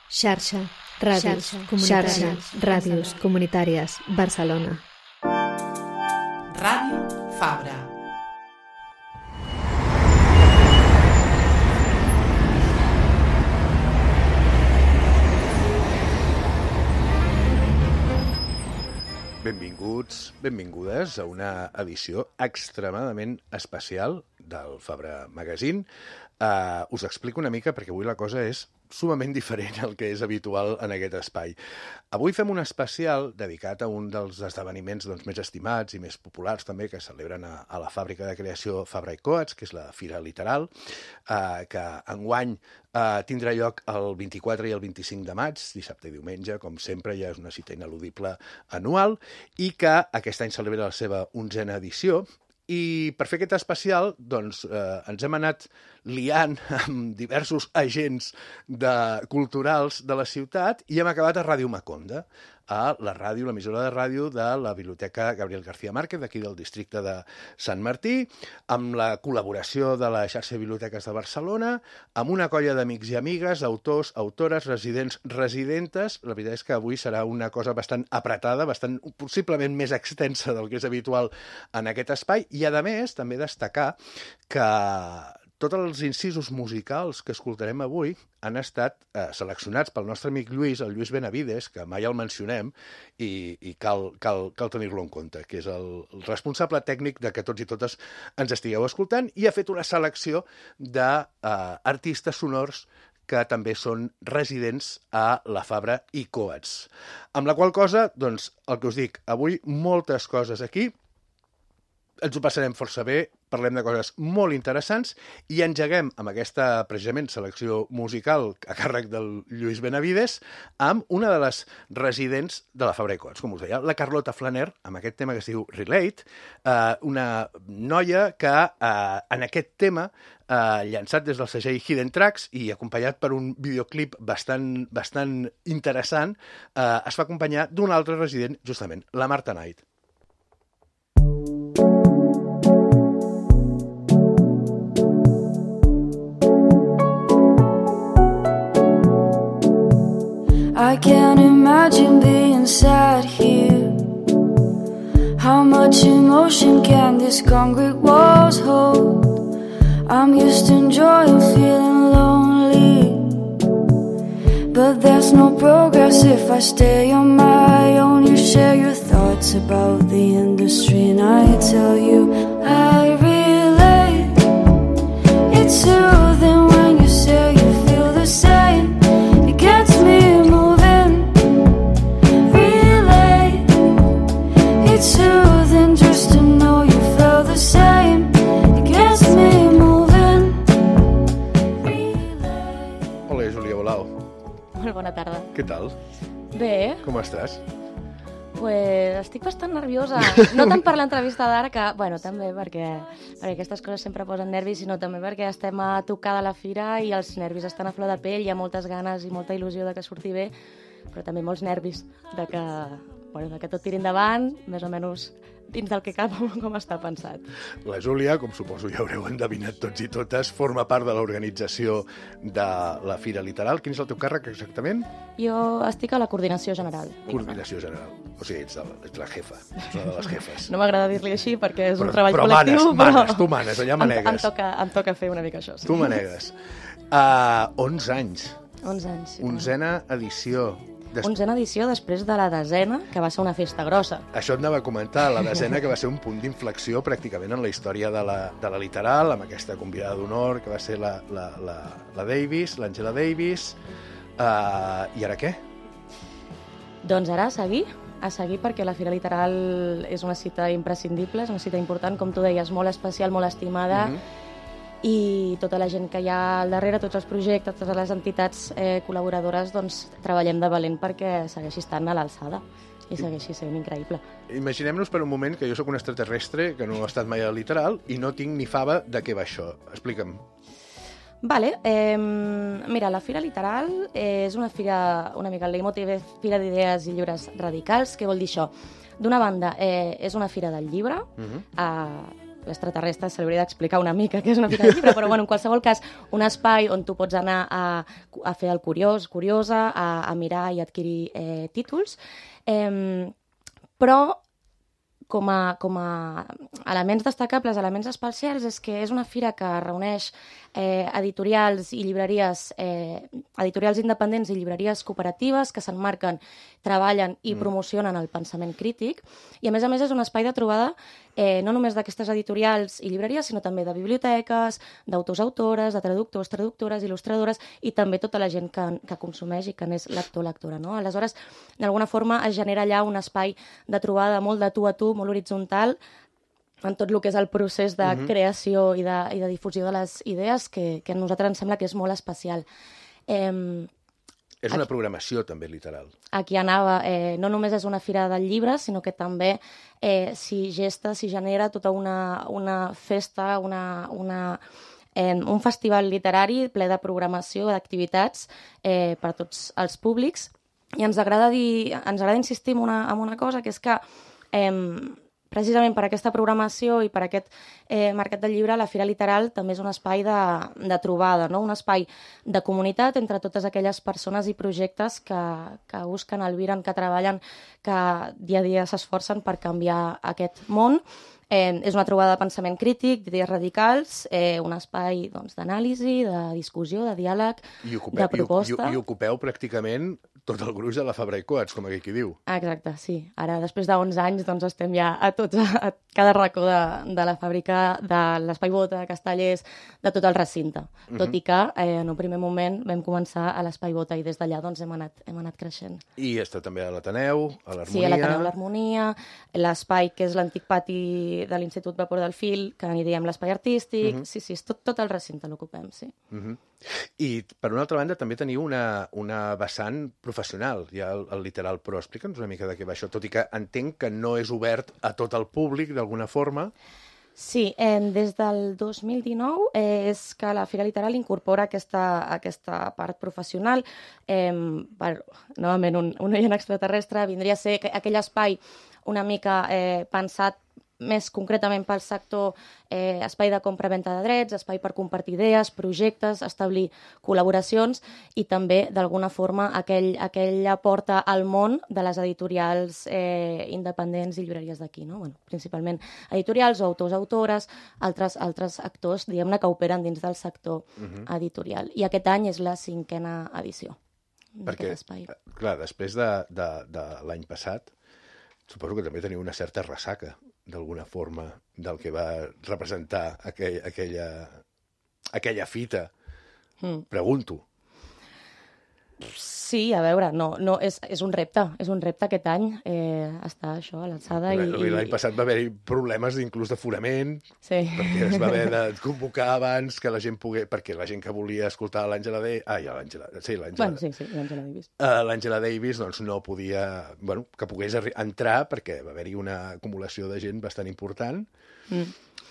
Xarxa, ràdios comunitàries, Barcelona. Ràdio Fabra. Benvinguts, benvingudes a una edició extremadament especial del Fabra Magazine. Us explico una mica perquè avui la cosa és sumament diferent al que és habitual en aquest espai. Avui fem un especial dedicat a un dels esdeveniments més estimats i més populars també que celebren a la fàbrica de creació Fabra i Coats, que és la Fira Literal, que enguany tindrà lloc el 24 i el 25 de maig, dissabte i diumenge, com sempre, ja és una cita ineludible anual, i que aquest any celebra la seva 11a edició. I per fer aquest especial, doncs, ens hem anat liant amb diversos agents culturals de la ciutat i hem acabat a Ràdio Maconda, a la ràdio, l'emissora de ràdio de la Biblioteca Gabriel García Márquez, d'aquí del districte de Sant Martí, amb la col·laboració de la xarxa de biblioteques de Barcelona, amb una colla d'amics i amigues, autors, autores, residents, residentes. La veritat és que avui serà una cosa bastant apretada, bastant possiblement més extensa del que és habitual en aquest espai, i a més també destacar que tots els incisos musicals que escoltarem avui han estat seleccionats pel nostre amic Lluís, el Lluís Benavides, que mai el mencionem i cal tenir-lo en compte, que és el responsable tècnic de que tots i totes ens estigueu escoltant, i ha fet una selecció d'artistes sonors que també són residents a la Fabra i Coats. Amb la qual cosa, doncs, el que us dic, avui moltes coses aquí, ens ho passarem força bé, parlem de coses molt interessants i engeguem amb aquesta, precisament, selecció musical a càrrec del Lluís Benavides amb una de les residents de la Fabra i Coats, com us deia, la Carlota Flaner, amb aquest tema que es diu Relate, una noia que en aquest tema, llançat des del segell Hidden Tracks i acompanyat per un videoclip bastant interessant, es fa acompanyar d'un altre resident, justament, la Marta Knight. I can't imagine being sad here. How much emotion can these concrete walls hold? I'm used to enjoying feeling lonely, but there's no progress if I stay on my own. You share your thoughts about the industry and I tell you I relate. It's soothing when you say you feel the same. It gets me moving. Relate. It's soothing just to know you feel the same. It gets me moving. Relate. Hola, Júlia Bolau. Molt bona tarda. Què tal? Bé, Com estàs? pues estic bastant nerviosa. No tant per l'entrevista d'ara, que, bueno, també perquè aquestes coses sempre posen nervis, sinó també perquè estem a tocar de la fira i els nervis estan a flor de pell, hi ha moltes ganes i molta il·lusió de que surti bé, però també molts nervis de que tot tiri endavant, més o menys dins del que cap, com està pensat. La Júlia, com suposo ja haureu endevinat tots i totes, forma part de l'organització de la Fira Literal. Quin és el teu càrrec exactament? Jo estic a la coordinació general. Coordinació general. O sigui, ets la jefa, ets una de les jefes. No m'agrada dir-li així perquè és un treball col·lectiu, tu manes, allà manegues. Em toca fer una mica això, sí. Tu manegues. 11 anys. 11 anys. Sí, 11a edició. 11a edició després de la 10a, que va ser una festa grossa. Això et anava a comentar, la 10a, que va ser un punt d'inflexió pràcticament en la història de la Literal, amb aquesta convidada d'honor que va ser la Davis, l'Àngela Davis. I ara què? Doncs ara a seguir perquè la Fira Literal és una cita imprescindible, és una cita important, com tu deies, molt especial, molt estimada, i tota la gent que hi ha al darrere, tots els projectes, totes les entitats col·laboradores, doncs treballem de valent perquè segueixi estant a l'alçada i segueixi sent increïble. Imaginem-nos per un moment que jo sóc un extraterrestre que no he estat mai a la Literal i no tinc ni fava de què va això. Explica'm. Vale, mira, la Fira Literal és una fira, una mica el leitmotiv, fira d'idees i llibres radicals. Què vol dir això? D'una banda, és una fira del llibre, extraterrestre se li hauria d'explicar una mica què és una fira del llibre, però bueno, en qualsevol cas, un espai on tu pots anar a fer el curiós, curiosa, a mirar i adquirir títols, però com a elements destacables, elements especials, és que és una fira que reuneix editorials i llibreries, editorials independents i llibreries cooperatives que s'emmarquen, treballen i promocionen el pensament crític, i a més és un espai de trobada no només d'aquestes editorials i llibreries, sinó també de biblioteques, d'autors, autores, de traductors, traductores, il·lustradores, i també tota la gent que consumeix i que n'és lector, lectora, no? Aleshores, d'alguna forma es genera allà un espai de trobada molt de tu a tu, molt horitzontal, en tot el que és el procés de creació i de difusió de les idees, que a nosaltres ens sembla que és molt especial. És una programació també literal. Aquí anava, no només és una fira del llibre, sinó que també s'hi genera tota una festa, un festival literari ple de programació, d'activitats per a tots els públics. I ens agrada insistir en una cosa, que és que precisament per aquesta programació i per aquest mercat del llibre, la Fira Literal també és un espai de trobada, no? Un espai de comunitat entre totes aquelles persones i projectes que busquen, albiren, que treballen, que dia a dia s'esforcen per canviar aquest món. És una trobada de pensament crític, d'idees radicals, un espai d'anàlisi, de discussió, de diàleg, de proposta. I ocupeu pràcticament tot el gruix de la Fabra i Coats, com aquí qui diu. Exacte, sí. Ara, després d'11 anys, estem ja a cada racó de la fàbrica, de l'Espai Bota, de Castellers, de tot el recinte. Tot i que, en un primer moment, vam començar a l'Espai Bota i des d'allà hem anat creixent. I està també a l'Ateneu, a l'Harmonia. Sí, a l'Ateneu, l'Harmonia, l'espai que és l'antic pati de l'Institut Vapor del Fil, que n'hi diem l'espai artístic. Sí, és tot el recinte l'ocupem, sí. I, per una altra banda, també teniu una vessant professional, ja el Literal Pro. Explica'ns una mica de què va això, tot i que entenc que no és obert a tot el públic, d'alguna forma. Sí, des del 2019 és que la Fira Literal incorpora aquesta part professional. Novament, un oient extraterrestre vindria a ser aquell espai una mica pensat més concretament pel sector, espai de compra-venta de drets, espai per compartir idees, projectes, establir col·laboracions i també, d'alguna forma, aquella porta al món de les editorials independents i llibreries d'aquí, no? Bueno, principalment editorials o autors, autores, altres actors, diguem-ne, que operen dins del sector editorial. I aquest any és la 5a edició d'aquest espai. Perquè, clar, després de l'any passat, suposo que també teniu una certa ressaca, d'alguna forma, del que va representar aquella fita. Pregunto. Sí, a veure, és un repte aquest any, està això a l'alçada. L'any passat va haver-hi problemes inclús d'aforament, perquè es va haver de convocar abans que la gent pogués, perquè la gent que volia escoltar l'Àngela Davis doncs no podia, que pogués entrar, perquè va haver-hi una acumulació de gent bastant important.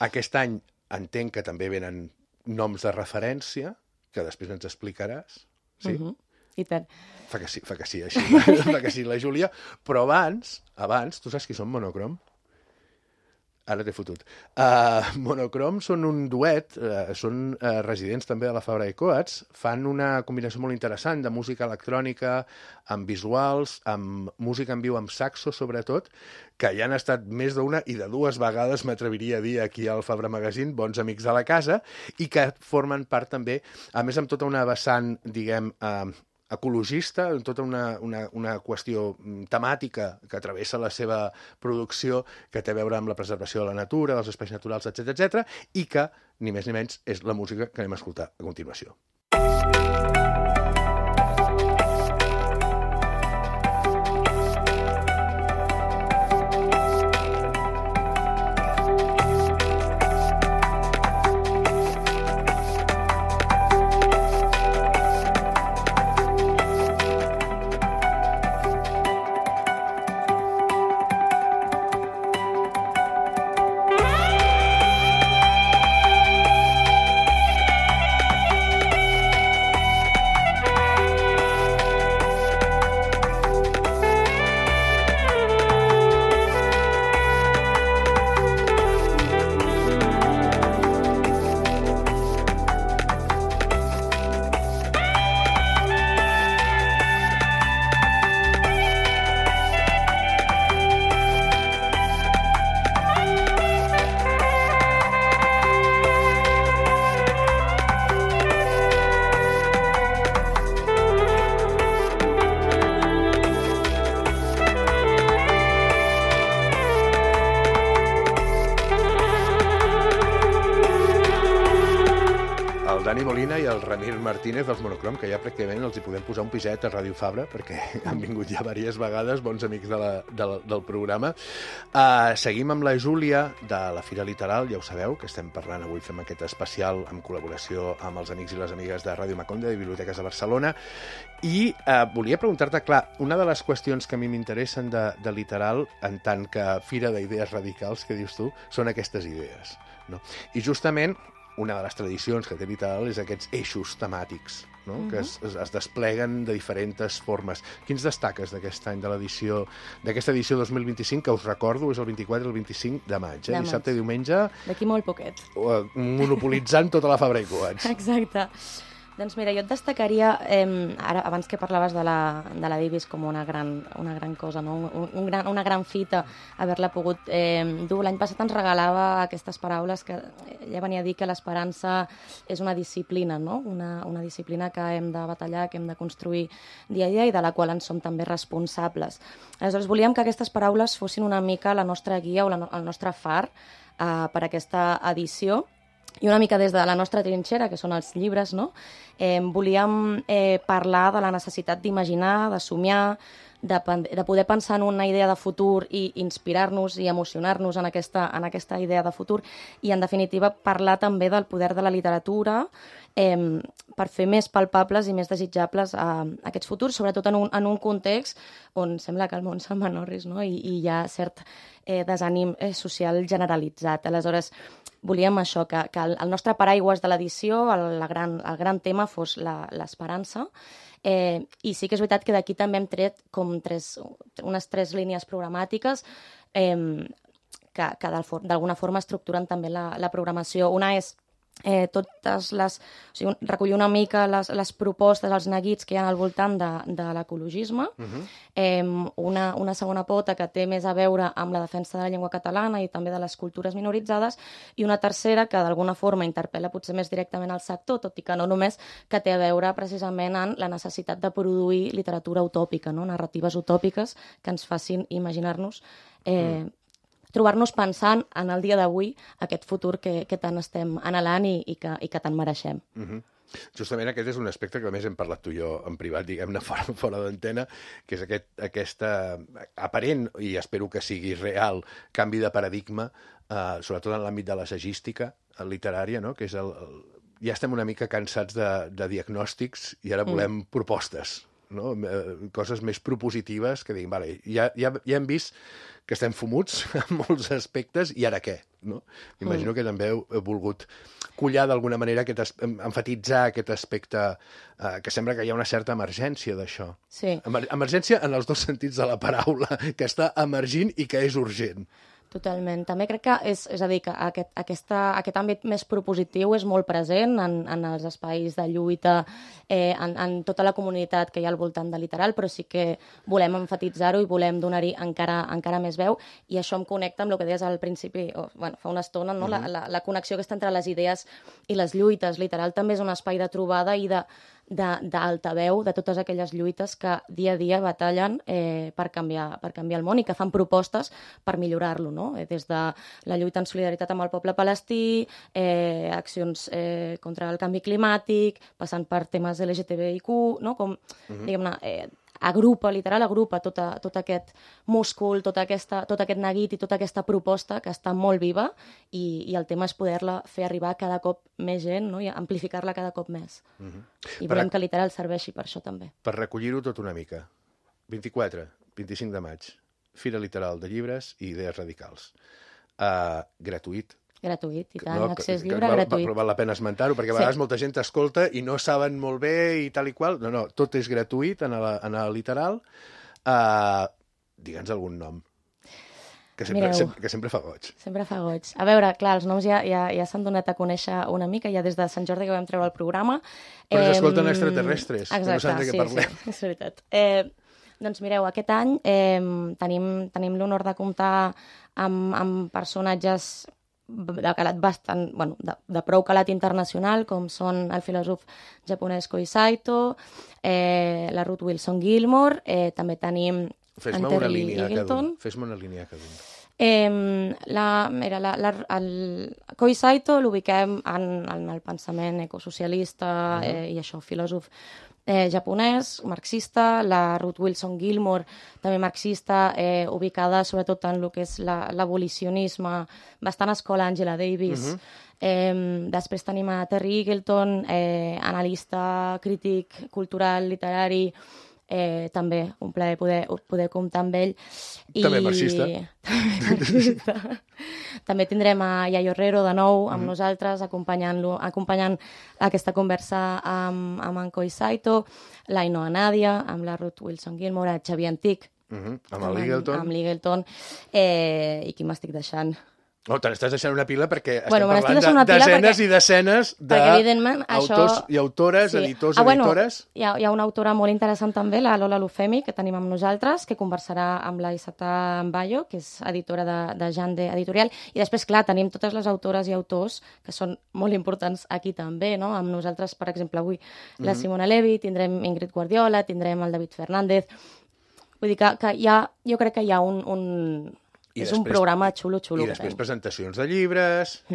Aquest any entenc que també venen noms de referència, que després ens explicaràs, sí? I tant. Fa que sí, així, fa que sí la Júlia, però abans, tu saps qui són Monocrom? Ara t'he fotut. Monocrom són un duet, són residents també de la Fabra i Coats, fan una combinació molt interessant de música electrònica, amb visuals, amb música en viu, amb saxo, sobretot, que ja han estat més d'una i de dues vegades, m'atreviria a dir, aquí al Fabra Magazine, bons amics de la casa, i que formen part també, a més amb tota una vessant, diguem, ecologista, tota una qüestió temàtica que travessa la seva producció, que té a veure amb la preservació de la natura, dels espais naturals, etc., i que, ni més ni menys, és la música que anem a escoltar a continuació. Martínez dels Monocrom, que ja pràcticament els hi podem posar un piset a Ràdio Fabra, perquè han vingut ja diverses vegades, bons amics del programa. Seguim amb la Júlia, de la Fira Literal, ja ho sabeu, que estem parlant avui, fem aquest especial en col·laboració amb els amics i les amigues de Ràdio Maconde, de Biblioteques de Barcelona, i volia preguntar-te, clar, una de les qüestions que a mi m'interessen de Literal, en tant que fira d'idees radicals, que dius tu, són aquestes idees, no? I justament una de les tradicions que té Literal és aquests eixos temàtics, no? Que es despleguen de diferents formes. Quins destaques d'aquest any, d'aquesta edició 2025, que us recordo és el 24 i el 25 de maig, dissabte i diumenge. D'aquí molt poquet. Monopolitzant tota la Fabra i Coats. Exacte. Doncs mira, jo et destacaria, ara abans que parlaves de la Divis com una gran cosa, no? una gran fita, haver-la pogut dur. L'any passat ens regalava aquestes paraules que ella venia a dir que l'esperança és una disciplina, no? Una disciplina que hem de batallar, que hem de construir dia a dia i de la qual en som també responsables. Aleshores, volíem que aquestes paraules fossin una mica la nostra guia o el nostre far per aquesta edició. I una mica des de la nostra trinxera, que són els llibres, no? Volíem parlar de la necessitat d'imaginar, de somiar, de poder pensar en una idea de futur i inspirar-nos i emocionar-nos en aquesta idea de futur i, en definitiva, parlar també del poder de la literatura per fer més palpables i més desitjables aquests futurs, sobretot en un context on sembla que el món se'n menorris, no? I hi ha cert desànim social generalitzat. Aleshores, volíem això, que el nostre paraigües de l'edició, el gran tema fos l'esperança, i sí que és veritat que d'aquí també hem tret com unes 3 línies programàtiques que d'alguna forma estructuren també la programació. Una és recollir una mica les propostes, els neguits que hi ha al voltant de l'ecologisme. Una segona pota que té més a veure amb la defensa de la llengua catalana i també de les cultures minoritzades, i una tercera que d'alguna forma interpel·la potser més directament al sector, tot i que no només, que té a veure precisament en la necessitat de produir literatura utòpica, no? Narratives utòpiques que ens facin imaginar-nos trobar-nos pensant en el dia d'avui aquest futur que tant estem anhelant i que tant mereixem. Justament aquest és un aspecte que a més hem parlat tu i jo en privat, diguem-ne, fora d'antena, que és aquesta aparent, i espero que sigui real, canvi de paradigma, sobretot en l'àmbit de l'assagística literària, no? Que és ja estem una mica cansats de diagnòstics i ara volem propostes, no? Coses més propositives que diguin, vale, ja hem vist que estem fumuts en molts aspectes, i ara què? No? M'imagino que també heu volgut collar d'alguna manera, emfatitzar aquest aspecte, que sembla que hi ha una certa emergència d'això. Sí. Emergència en els 2 sentits de la paraula, que està emergint i que és urgent. Totalment. També crec que és a dir, que aquest àmbit més propositiu és molt present en els espais de lluita, en tota la comunitat que hi ha al voltant de Literal, però sí que volem emfatitzar-ho i volem donar-hi encara més veu, i això em connecta amb el que deies al principi, fa una estona, no? La connexió que està entre les idees i les lluites. Literal també és un espai de trobada i d'altaveu de totes aquelles lluites que dia a dia batallen per canviar el món i que fan propostes per millorar-lo, no? Des de la lluita en solidaritat amb el poble palestí, accions contra el canvi climàtic, passant per temes LGTBIQ, no? Com, diguem-ne, agrupa tot aquest múscul, tot aquest neguit i tota aquesta proposta que està molt viva, i el tema és poder-la fer arribar a cada cop més gent, no? I amplificar-la cada cop més. I volem que Literal serveixi per això també. Per recollir-ho tot una mica, 24, 25 de maig, Fira Literal de llibres i idees radicals. Gratuït. Gratuït, i tant, accés lliure, gratuït. Val la pena esmentar-ho, perquè a vegades molta gent t'escolta i no saben molt bé i tal i qual. No, tot és gratuït en el Literal. Digue'ns algun nom, que sempre fa goig. Sempre fa goig. A veure, clar, els noms ja s'han donat a conèixer una mica, ja des de Sant Jordi que vam treure el programa. Però ens escolten extraterrestres, exacte, que no saben de què parlem. Sí, és veritat. Doncs mireu, aquest any tenim l'honor de comptar amb personatges de calat bastant, de prou calat internacional, com són el filòsof japonès Kohei Saito, la Ruth Wilson Gilmore, també tenim Fes-me una línia cada un. El Koi Saito l'ubiquem en el pensament ecosocialista i això, filòsof japonès, marxista, la Ruth Wilson Gilmore, també marxista, ubicada sobretot en el que és l'abolicionisme, bastant escola Angela Davis. Després tenim a Terry Eagleton, analista, crític, cultural, literari, també un plaer poder comptar amb ell. També marxista. També tindrem a Yayo Herrero de nou amb nosaltres, acompanyant aquesta conversa amb en Koi Saito, l'Ainoa Nadia, amb la Ruth Wilson Gilmore, Xavier Antic, amb l'Eagleton, i qui m'estic deixant? No, te n'estàs deixant una pila perquè estem parlant de desenes i desenes d'autors i autores, editors, editores. Hi ha una autora molt interessant també, la Lola Lufemi, que tenim amb nosaltres, que conversarà amb la Isata Mbayo, que és editora de Jande Editorial. I després, clar, tenim totes les autores i autors que són molt importants aquí també, no? Amb nosaltres, per exemple, avui la Simona Levi, tindrem Ingrid Guardiola, tindrem el David Fernández. Vull dir que jo crec que hi ha és un programa xulo. I després presentacions de llibres.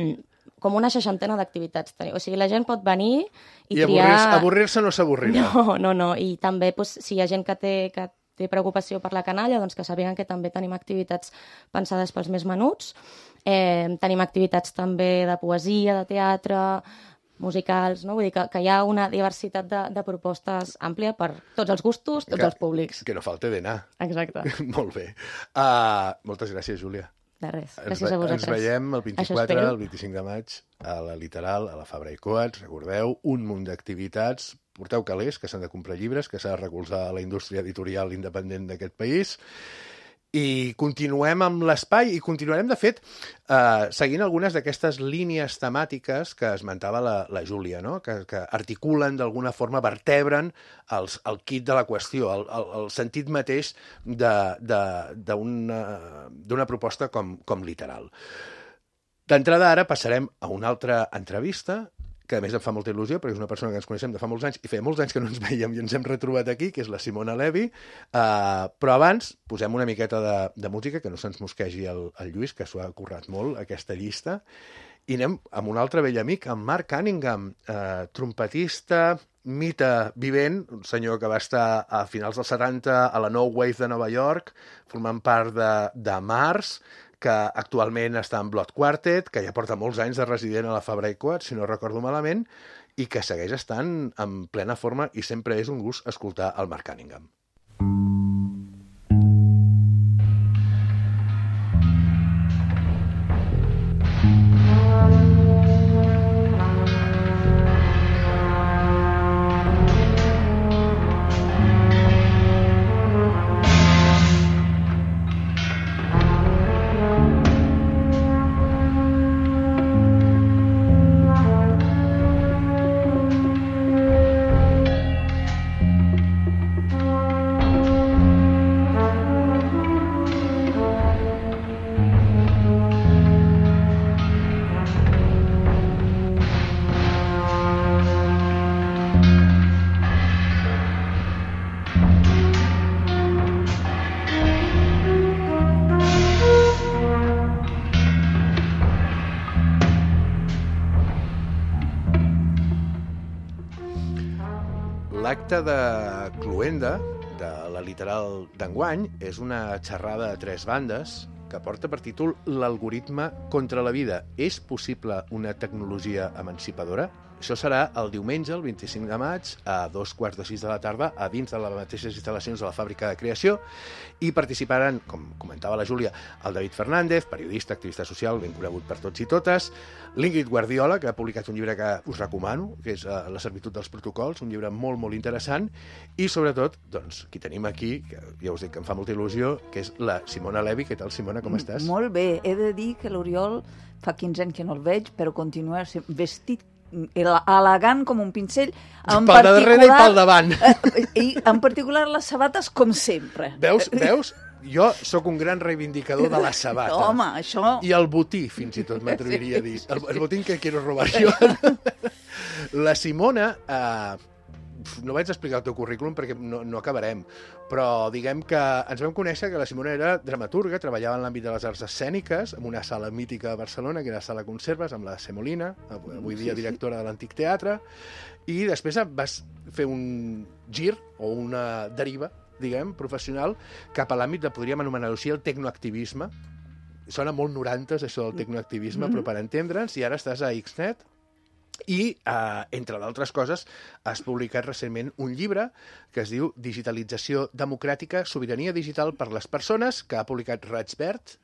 Com una 60 d'activitats. O sigui, la gent pot venir i triar... avorrir-se no s'avorrirà. No. I també, si hi ha gent que té preocupació per la canalla, doncs que sàpiguen que també tenim activitats pensades pels més menuts. Tenim activitats també de poesia, de teatre, musicals, no? Vull dir que hi ha una diversitat de propostes àmplia per tots els gustos, tots els públics. Que no falte d'anar. Exacte. Molt bé. Moltes gràcies, Júlia. De res. Gràcies a vosaltres. Ens veiem el 24, el 25 de maig, a la Literal, a la Fabra i Coats. Recordeu, un munt d'activitats. Porteu calés, que s'han de comprar llibres, que s'ha de recolzar la indústria editorial independent d'aquest país. I continuem amb l'espai i continuarem, de fet, seguint algunes d'aquestes línies temàtiques que esmentava la Júlia, no? Que articulen d'alguna forma, vertebren el kit de la qüestió, el sentit mateix d'una proposta com Literal. D'entrada, ara passarem a una altra entrevista que a més em fa molta il·lusió, perquè és una persona que ens coneixem de fa molts anys, i feia molts anys que no ens veiem i ens hem retrobat aquí, que és la Simona Levi. Però abans posem una miqueta de música, que no se'ns mosquegi el Lluís, que s'ho ha currat molt, aquesta llista, i anem amb un altre vell amic, en Mark Cunningham, trompetista, mite vivent, un senyor que va estar a finals dels 70 a la No Wave de Nova York, formant part de Mars, que actualment està en Blood Quartet, que ja porta molts anys de resident a la Fabra i Coats, si no recordo malament, i que segueix estant en plena forma i sempre és un gust escoltar el Mark Cunningham. L'acte de cloenda de la Literal d'enguany és una xerrada a 3 bandes que porta per títol L'algoritme contra la vida. És possible una tecnologia emancipadora? Això serà el diumenge, el 25 de maig, a 5:15 de la tarda, a dins de les mateixes instal·lacions de la Fàbrica de Creació, i participaran, com comentava la Júlia, el David Fernández, periodista, activista social, ben conegut per tots i totes, l'Ingrid Guardiola, que ha publicat un llibre que us recomano, que és La servitud dels protocols, un llibre molt, molt interessant, i sobretot, doncs, qui tenim aquí, que ja us dic que em fa molta il·lusió, que és la Simona Levi. Què tal, Simona, com estàs? Molt bé. He de dir que l'Oriol fa 15 anys que no el veig, però continua vestit elegant com un pincell. Pel darrere i pel davant. I en particular les sabates, com sempre. Veus? Jo sóc un gran reivindicador de la sabata. No, home, això... I el botí, fins i tot m'atreviria a dir. El botí que quiero robar jo. La Simona no vaig explicar el teu currículum perquè no acabarem, però diguem que ens vam conèixer que la Simona era dramaturga, treballava en l'àmbit de les arts escèniques, en una sala mítica de Barcelona, que era la Sala Conserves, amb la Semolina, avui dia directora de l'Antic Teatre, i després vas fer un gir o una deriva, diguem, professional, cap a l'àmbit de, podríem anomenar-ho així, el tecnoactivisme. Sona molt 90s, això del tecnoactivisme, però per entendre'ns, i ara estàs a Xnet, i, entre d'altres coses, has publicat recentment un llibre que es diu Digitalització democràtica, sobirania digital per les persones, que ha publicat Raig Verd,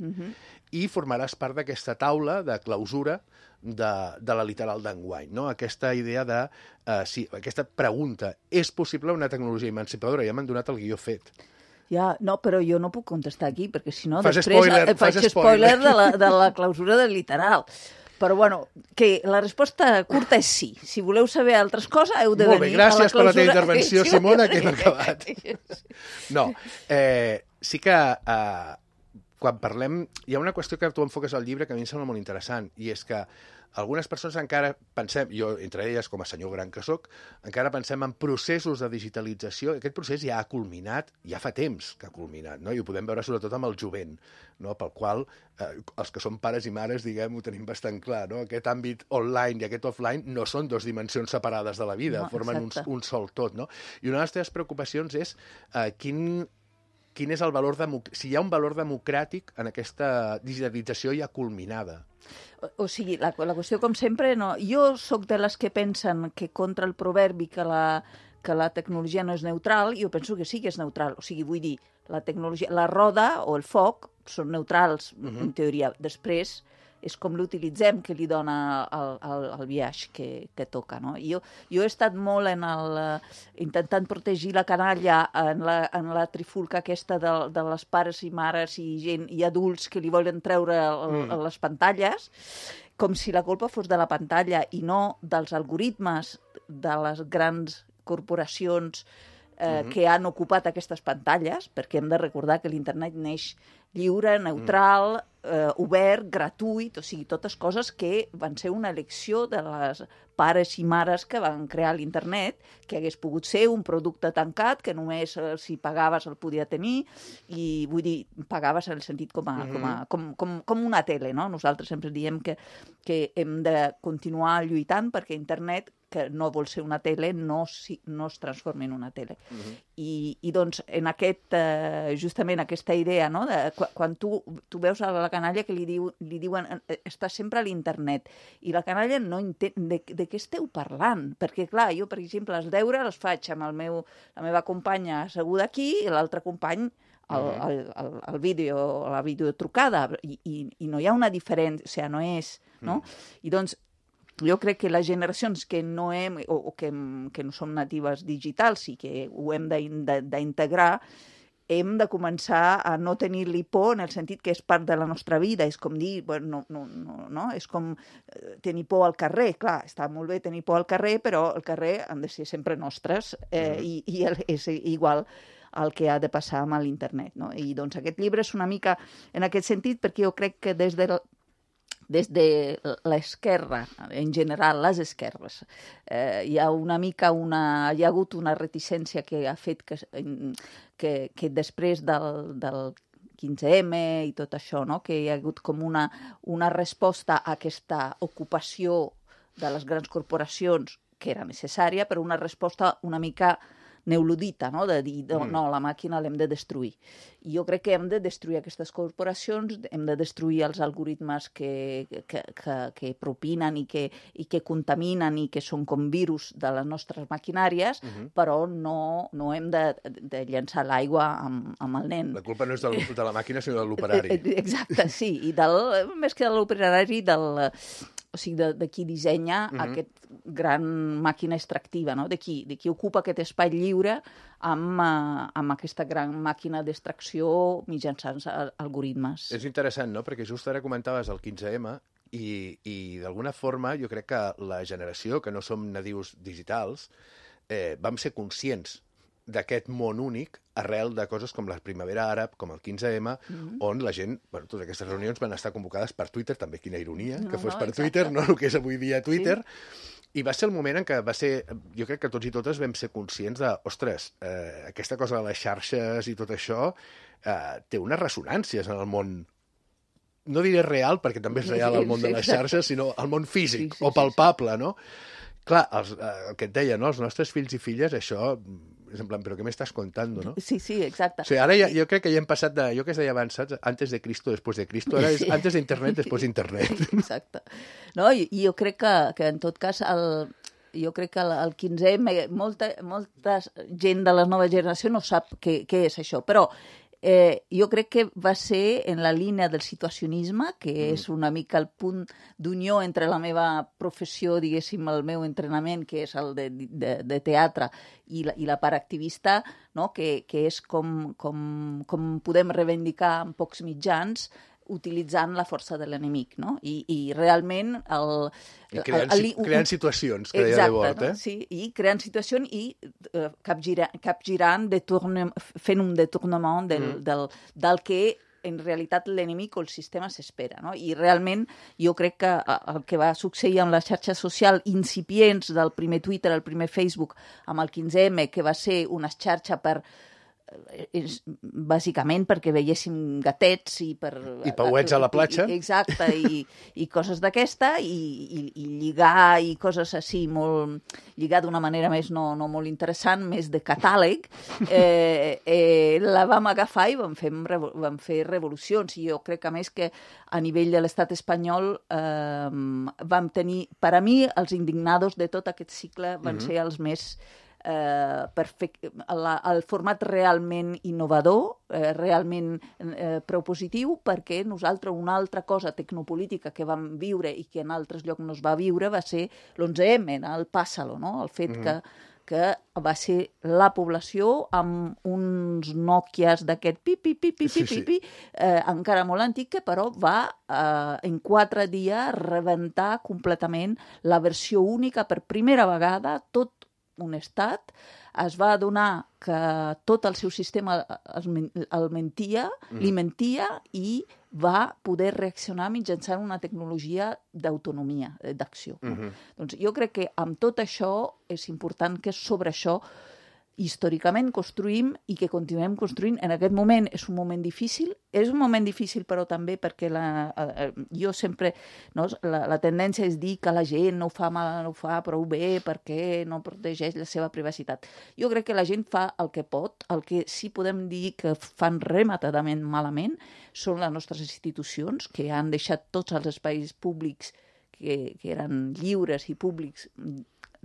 i formaràs part d'aquesta taula de clausura de la literal d'enguany, no? Aquesta idea de, aquesta pregunta, és possible una tecnologia emancipadora? Ja m'han donat el guió fet. Ja, no, però jo no puc contestar aquí, perquè si no, Fas després faig spoiler de la clausura del literal. Però, bueno, que la resposta curta és sí. Si voleu saber altres coses, heu de venir a la clausura. Molt bé, gràcies per la teva intervenció, Simona, que hem acabat. No, sí que quan parlem... Hi ha una qüestió que tu enfoques al llibre que a mi em sembla molt interessant, i és que algunes persones encara pensem, jo entre elles com a senyor gran que soc, encara pensem en processos de digitalització. Aquest procés ja ha culminat, ja fa temps que ha culminat, no? I ho podem veure sobretot amb el jovent, no? Pel qual els que som pares i mares, diguem, ho tenim bastant clar, no? Aquest àmbit online i aquest offline no són dues dimensions separades de la vida, formen un sol tot, no? I una de les teves preocupacions és quin és el valor si hi ha un valor democràtic en aquesta digitalització ja culminada. O sigui, la qüestió, com sempre, no. Jo sóc de les que pensen que contra el proverbi que la tecnologia no és neutral, jo penso que sí que és neutral. O sigui, vull dir, la tecnologia, la roda o el foc són neutrals, en teoria. Després és com l'utilitzem que li dona el viatge que toca, no? Jo he estat molt intentant protegir la canalla en la trifulca aquesta de les pares i mares i gent i adults que li volen treure les pantalles, com si la culpa fos de la pantalla i no dels algoritmes de les grans corporacions que han ocupat aquestes pantalles, perquè hem de recordar que l'internet neix lliure, neutral, obert, gratuït, o sigui, totes coses que van ser una elecció de les pares i mares que van crear l'internet, que hagués pogut ser un producte tancat, que només si pagaves el podia tenir, i vull dir, pagaves en el sentit com una tele, no? Nosaltres sempre diem que hem de continuar lluitant perquè internet, que no vol ser una tele, no es transformi en una tele. I doncs, en justament aquesta idea, no? Quan tu veus a la canalla que li diuen està sempre a l'internet, i la canalla no entén de què esteu parlant, perquè clar, jo per exemple els deures els faig amb la meva companya asseguda aquí i l'altre company el vídeo, la videotrucada, i no hi ha una diferència, o sigui, no és, no? I doncs jo crec que les generacions que no que no som natives digitals i que ho hem d'integrar, hem de començar a no tenir-li por en el sentit que és part de la nostra vida. És com dir, bueno, no, és com tenir por al carrer. Clar, està molt bé tenir por al carrer, però el carrer han de ser sempre nostres i és igual el que ha de passar amb l'internet, no? I doncs aquest llibre és una mica en aquest sentit, perquè jo crec que des de l'esquerra, en general, les esquerres, hi ha hagut una reticència que ha fet que després del 15M i tot això, no? Que hi ha hagut com una resposta a aquesta ocupació de les grans corporacions que era necessària, però una resposta una mica neoludita, no? De dir, no, la màquina l'hem de destruir. I jo crec que hem de destruir aquestes corporacions, hem de destruir els algoritmes que propinen i que contaminen i que són com virus de les nostres maquinàries, però no hem de llançar l'aigua amb el nen. La culpa no és de la màquina, sinó de l'operari. Exacte, sí. I més que de l'operari, o sigui, de qui dissenya aquest gran màquina extractiva, no? De qui ocupa aquest espai lliure amb aquesta gran màquina d'extracció mitjançant algoritmes. És interessant, no? Perquè just ara comentaves el 15M i d'alguna forma jo crec que la generació, que no som nadius digitals, vam ser conscients d'aquest món únic arrel de coses com la primavera àrab, com el 15M, on la gent, bueno, totes aquestes reunions van estar convocades per Twitter, també quina ironia, que fos per Twitter, no el que és avui dia Twitter, i va ser el moment en què va ser, jo crec que tots i totes vam ser conscients de, ostres, aquesta cosa de les xarxes i tot això té unes ressonàncies en el món, no diré real, perquè també és real el món de les xarxes, sinó el món físic o palpable, no? Clar, el que et deia, no? Els nostres fills i filles, això, és en plan, però què m'estàs contant, no? Sí, exacte. O sigui, ara jo crec que ja hem passat de, jo que es deia abans, saps? Antes de Cristo, después de Cristo, ara és antes d'internet, després d'internet. Exacte. No, i jo crec que en tot cas, jo crec que el 15M, molta gent de la nova generació no sap què és això, però jo crec que va ser en la línia del situacionisme, que és una mica el punt d'unió entre la meva professió, diguéssim, el meu entrenament, que és el de teatre, i la part activista, no? que és com podem reivindicar en pocs mitjans, utilitzant la força de l'enemic, no? I realment... creant situacions, que deia Debord, no? Sí, i creant situacions i capgirant, fent un detornament del que en realitat l'enemic o el sistema s'espera, no? I realment jo crec que el que va succeir amb les xarxes socials incipients del primer Twitter, el primer Facebook, amb el 15M, que va ser una xarxa bàsicament perquè veiéssim gatets i pauets a la platja. Exacte, i coses d'aquesta, i lligar i coses així, lligar d'una manera més no molt interessant, més de catàleg, la vam agafar i vam fer revolucions. I jo crec, a més, que a nivell de l'estat espanyol vam tenir, per a mi, els indignados de tot aquest cicle van ser els més el format realment innovador, realment propositiu, perquè nosaltres una altra cosa tecnopolítica que vam viure i que en altres llocs no es va viure va ser l'11M, el pàssalo, no? El fet que va ser la població amb uns Nokias d'aquest pipi, encara molt antic, que però va en 4 dies rebentar completament la versió única per primera vegada. Tot un estat es va adonar que tot el seu sistema li mentia i va poder reaccionar mitjançant una tecnologia d'autonomia, d'acció. Doncs jo crec que amb tot això és important que sobre això històricament construïm i que continuem construint. En aquest moment és un moment difícil, però també perquè jo sempre, no, la tendència és dir que la gent no ho fa prou bé perquè no protegeix la seva privacitat. Jo crec que la gent fa el que pot. El que sí podem dir que fan rematadament malament són les nostres institucions, que han deixat tots els espais públics que eren lliures i públics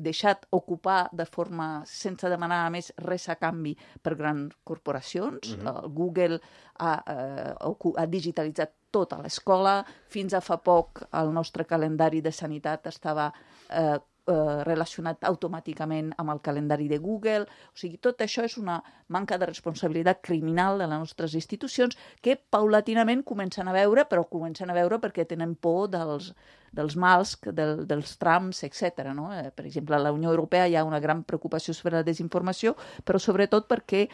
deixat ocupar de forma sense demanar a més res a canvi per grans corporacions. Google ha digitalitzat tota l'escola. Fins a fa poc el nostre calendari de sanitat estava relacionat automàticament amb el calendari de Google. O sigui, tot això és una manca de responsabilitat criminal de les nostres institucions que paulatinament comencen a veure perquè tenen por dels mals, dels trams, etc. No? Per exemple, a la Unió Europea hi ha una gran preocupació sobre la desinformació, però sobretot perquè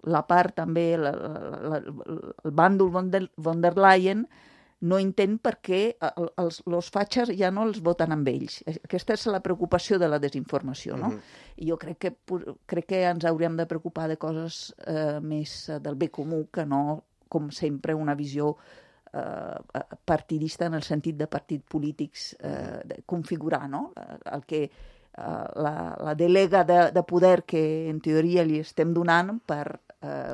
la part també, el bàndol von der Leyen no entén per què els fatxes ja no els voten amb ells. Aquesta és la preocupació de la desinformació, no? I jo crec que ens hauríem de preocupar de coses més del bé comú que no, com sempre, una visió partidista en el sentit de partits polítics configurar, no? El que la delega de poder que en teoria li estem donant per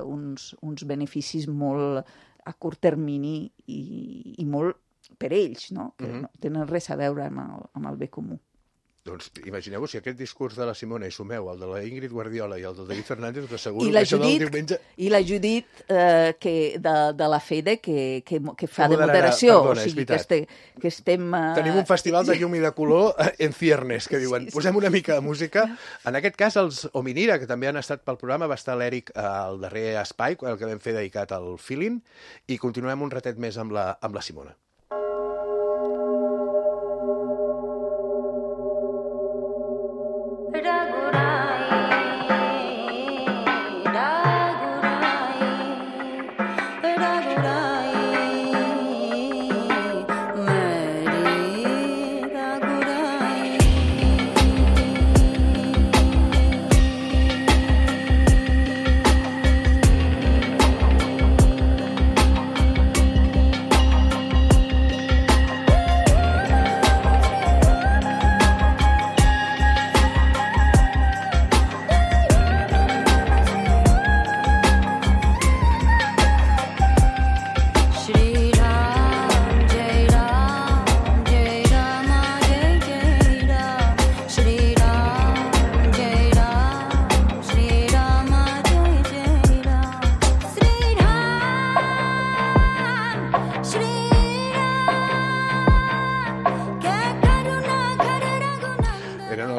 uns beneficis molt a curt termini i molt per ells, no? Que no tenen res a veure amb el bé comú. Doncs imagineu-vos, si aquest discurs de la Simona i sumeu el de la Ingrid Guardiola i el del David Fernández, us asseguro que això del diumenge... I la Judit de la FEDE, que fa de moderació. Perdona, és veritat. Que estem... Tenim un festival de llum i de color en ciernes, que diuen, posem una mica de música. En aquest cas, els Hominira, que també han estat pel programa, va estar l'Eric al darrer espai, el que vam fer dedicat al feeling, i continuem un ratet més amb la Simona.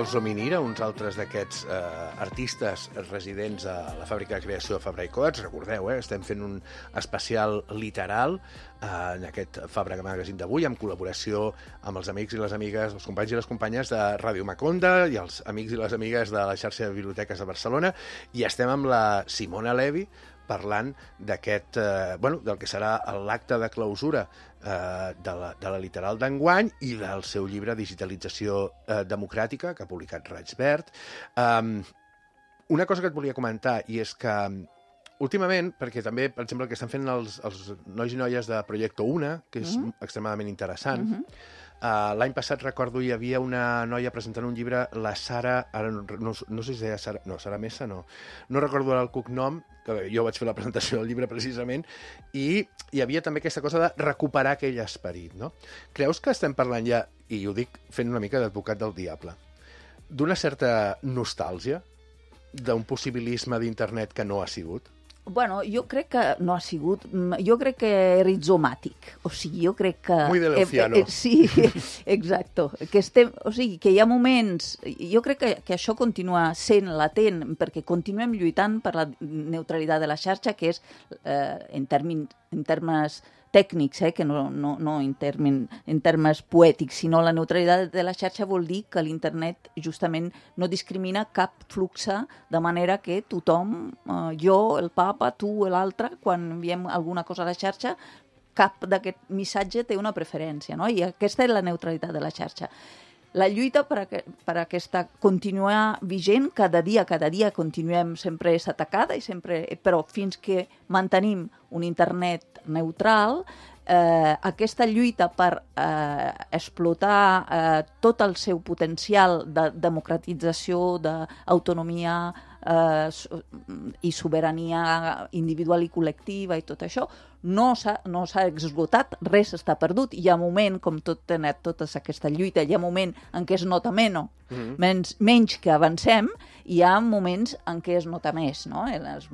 Corso Minira, uns altres d'aquests artistes residents a la fàbrica de creació de Fabra i Coats. Recordeu, estem fent un especial literal en aquest Fabra Magazine d'avui, en col·laboració amb els amics i les amigues, els companys i les companyes de Ràdio Maconda i els amics i les amigues de la xarxa de biblioteques de Barcelona, i estem amb la Simona Levi parlant d'aquest, del que serà l'acte de clausura de la literal d'enguany i del seu llibre Digitalització democràtica, que ha publicat Raig Verd. Una cosa que et volia comentar, i és que últimament, perquè també, per exemple, el que estan fent els nois i noies de Proyecto Una, que és extremadament interessant. L'any passat, recordo, hi havia una noia presentant un llibre, la Sara, ara no sé si deia Sara, no, Sara Mesa no recordo el cognom, que jo vaig fer la presentació del llibre precisament, i hi havia també aquesta cosa de recuperar aquell esperit, no? Creus que estem parlant ja, i ho dic fent una mica d'advocat del diable, d'una certa nostàlgia, d'un possibilisme d'internet que no ha sigut? Bueno, jo crec que no ha sigut... Jo crec que rizomàtic. O sigui, jo crec que... Muy de Leuciano. Sí, exacto. O sigui, que hi ha moments... Jo crec que això continua sent latent, perquè continuem lluitant per la neutralitat de la xarxa, que és, en termes tècnics, que no en termes poètics, sinó la neutralitat de la xarxa vol dir que l'internet justament no discrimina cap flux, de manera que tothom, jo, el papa, tu, l'altre, quan enviem alguna cosa a la xarxa, cap d'aquest missatge té una preferència, no? I aquesta és la neutralitat de la xarxa. La lluita per aquesta continuar vigent, cada dia continuem, sempre és atacada, però fins que mantenim un internet neutral, aquesta lluita per explotar tot el seu potencial de democratització, d'autonomia i sobirania individual i col·lectiva i tot això, no s'ha esgotat, res està perdut. Hi ha moment, com tota aquesta lluita, hi ha moment en què es nota menys que avancem, i hi ha moments en què es nota més, no? Els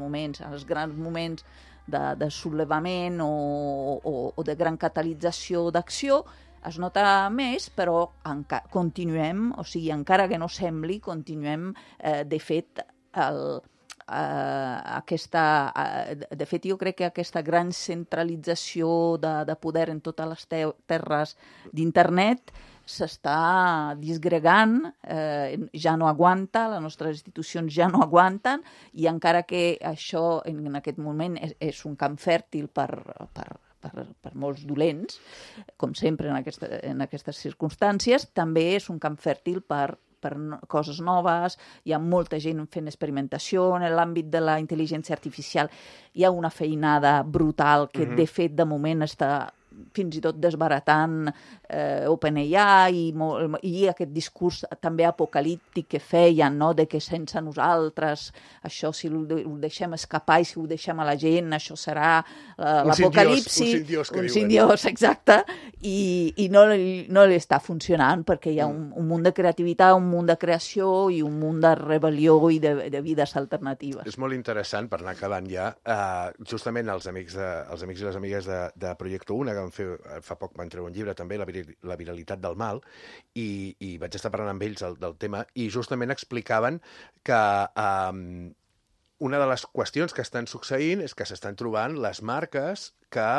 grans moments de sollevament o de gran catalització d'acció es nota més, però continuem, o sigui, encara que no sembli, continuem, de fet, de fet, jo crec que aquesta gran centralització de poder en totes les terres d'internet s'està disgregant, ja no aguanta, les nostres institucions ja no aguanten, i encara que això en aquest moment és un camp fèrtil per molts dolents, com sempre en aquestes circumstàncies, també és un camp fèrtil per coses noves. Hi ha molta gent fent experimentació en l'àmbit de la intel·ligència artificial. Hi ha una feinada brutal que, de fet, de moment està fins i tot desbaratant OpenAI i aquest discurs també apocalíptic que feien, no? De que sense nosaltres, això si ho deixem escapar i si ho deixem a la gent, això serà l'apocalipsi. Un simdiós, exacte. I no li està funcionant perquè hi ha un munt de creativitat, un munt de creació i un munt de rebel·lió i de vides alternatives. És molt interessant, per anar acabant ja, justament els amics i les amigues de Proyecto Una, que fa poc van treure un llibre també, La viralitat del mal, i vaig estar parlant amb ells del tema, i justament explicaven que una de les qüestions que estan succeint és que s'estan trobant les marques que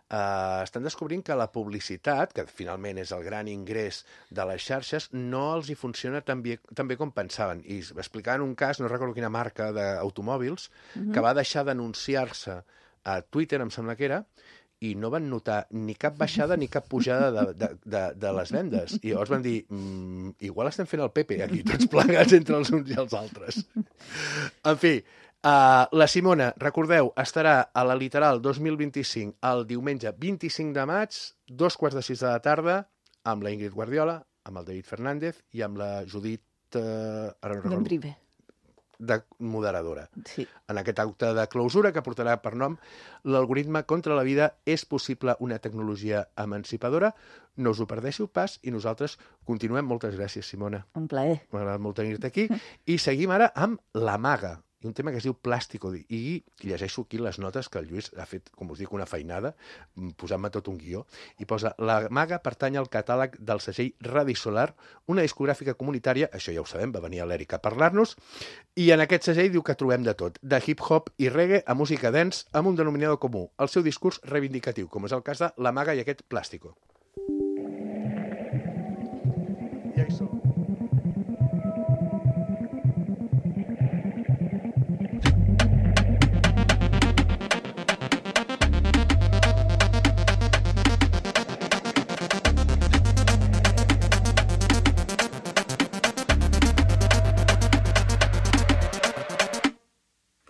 estan descobrint que la publicitat, que finalment és el gran ingrés de les xarxes, no els hi funciona tan bé com pensaven. I explicaven un cas, no recordo quina marca d'automòbils, que va deixar d'anunciar-se a Twitter, em sembla que era, i no van notar ni cap baixada ni cap pujada de les vendes. I llavors van dir, igual estem fent el Pepe aquí, tots plegats entre els uns i els altres. En fi, la Simona, recordeu, estarà a la Literal 2025 el diumenge 25 de maig, 5:15 de la tarda, amb la Ingrid Guardiola, amb el David Fernández i amb la Judit... ara no recordo. De moderadora. Sí. En aquest acte de clausura que portarà per nom L'algoritme contra la vida és possible una tecnologia emancipadora. No us ho perdéssiu pas i nosaltres continuem. Moltes gràcies, Simona. Un plaer. M'ha agradat molt tenir-te aquí. I seguim ara amb La Maga, i un tema que es diu Plàstico, i llegeixo aquí les notes que el Lluís ha fet, com us dic, una feinada, posant-me tot un guió, i posa: La Maga pertany al catàleg del segell Radisolar, una discogràfica comunitària, això ja ho sabem, va venir a l'Èric a parlar-nos, i en aquest segell diu que trobem de tot, de hip-hop i reggae a música dance, amb un denominador comú, el seu discurs reivindicatiu, com és el cas de La Maga i aquest Plàstico. Ja hi som.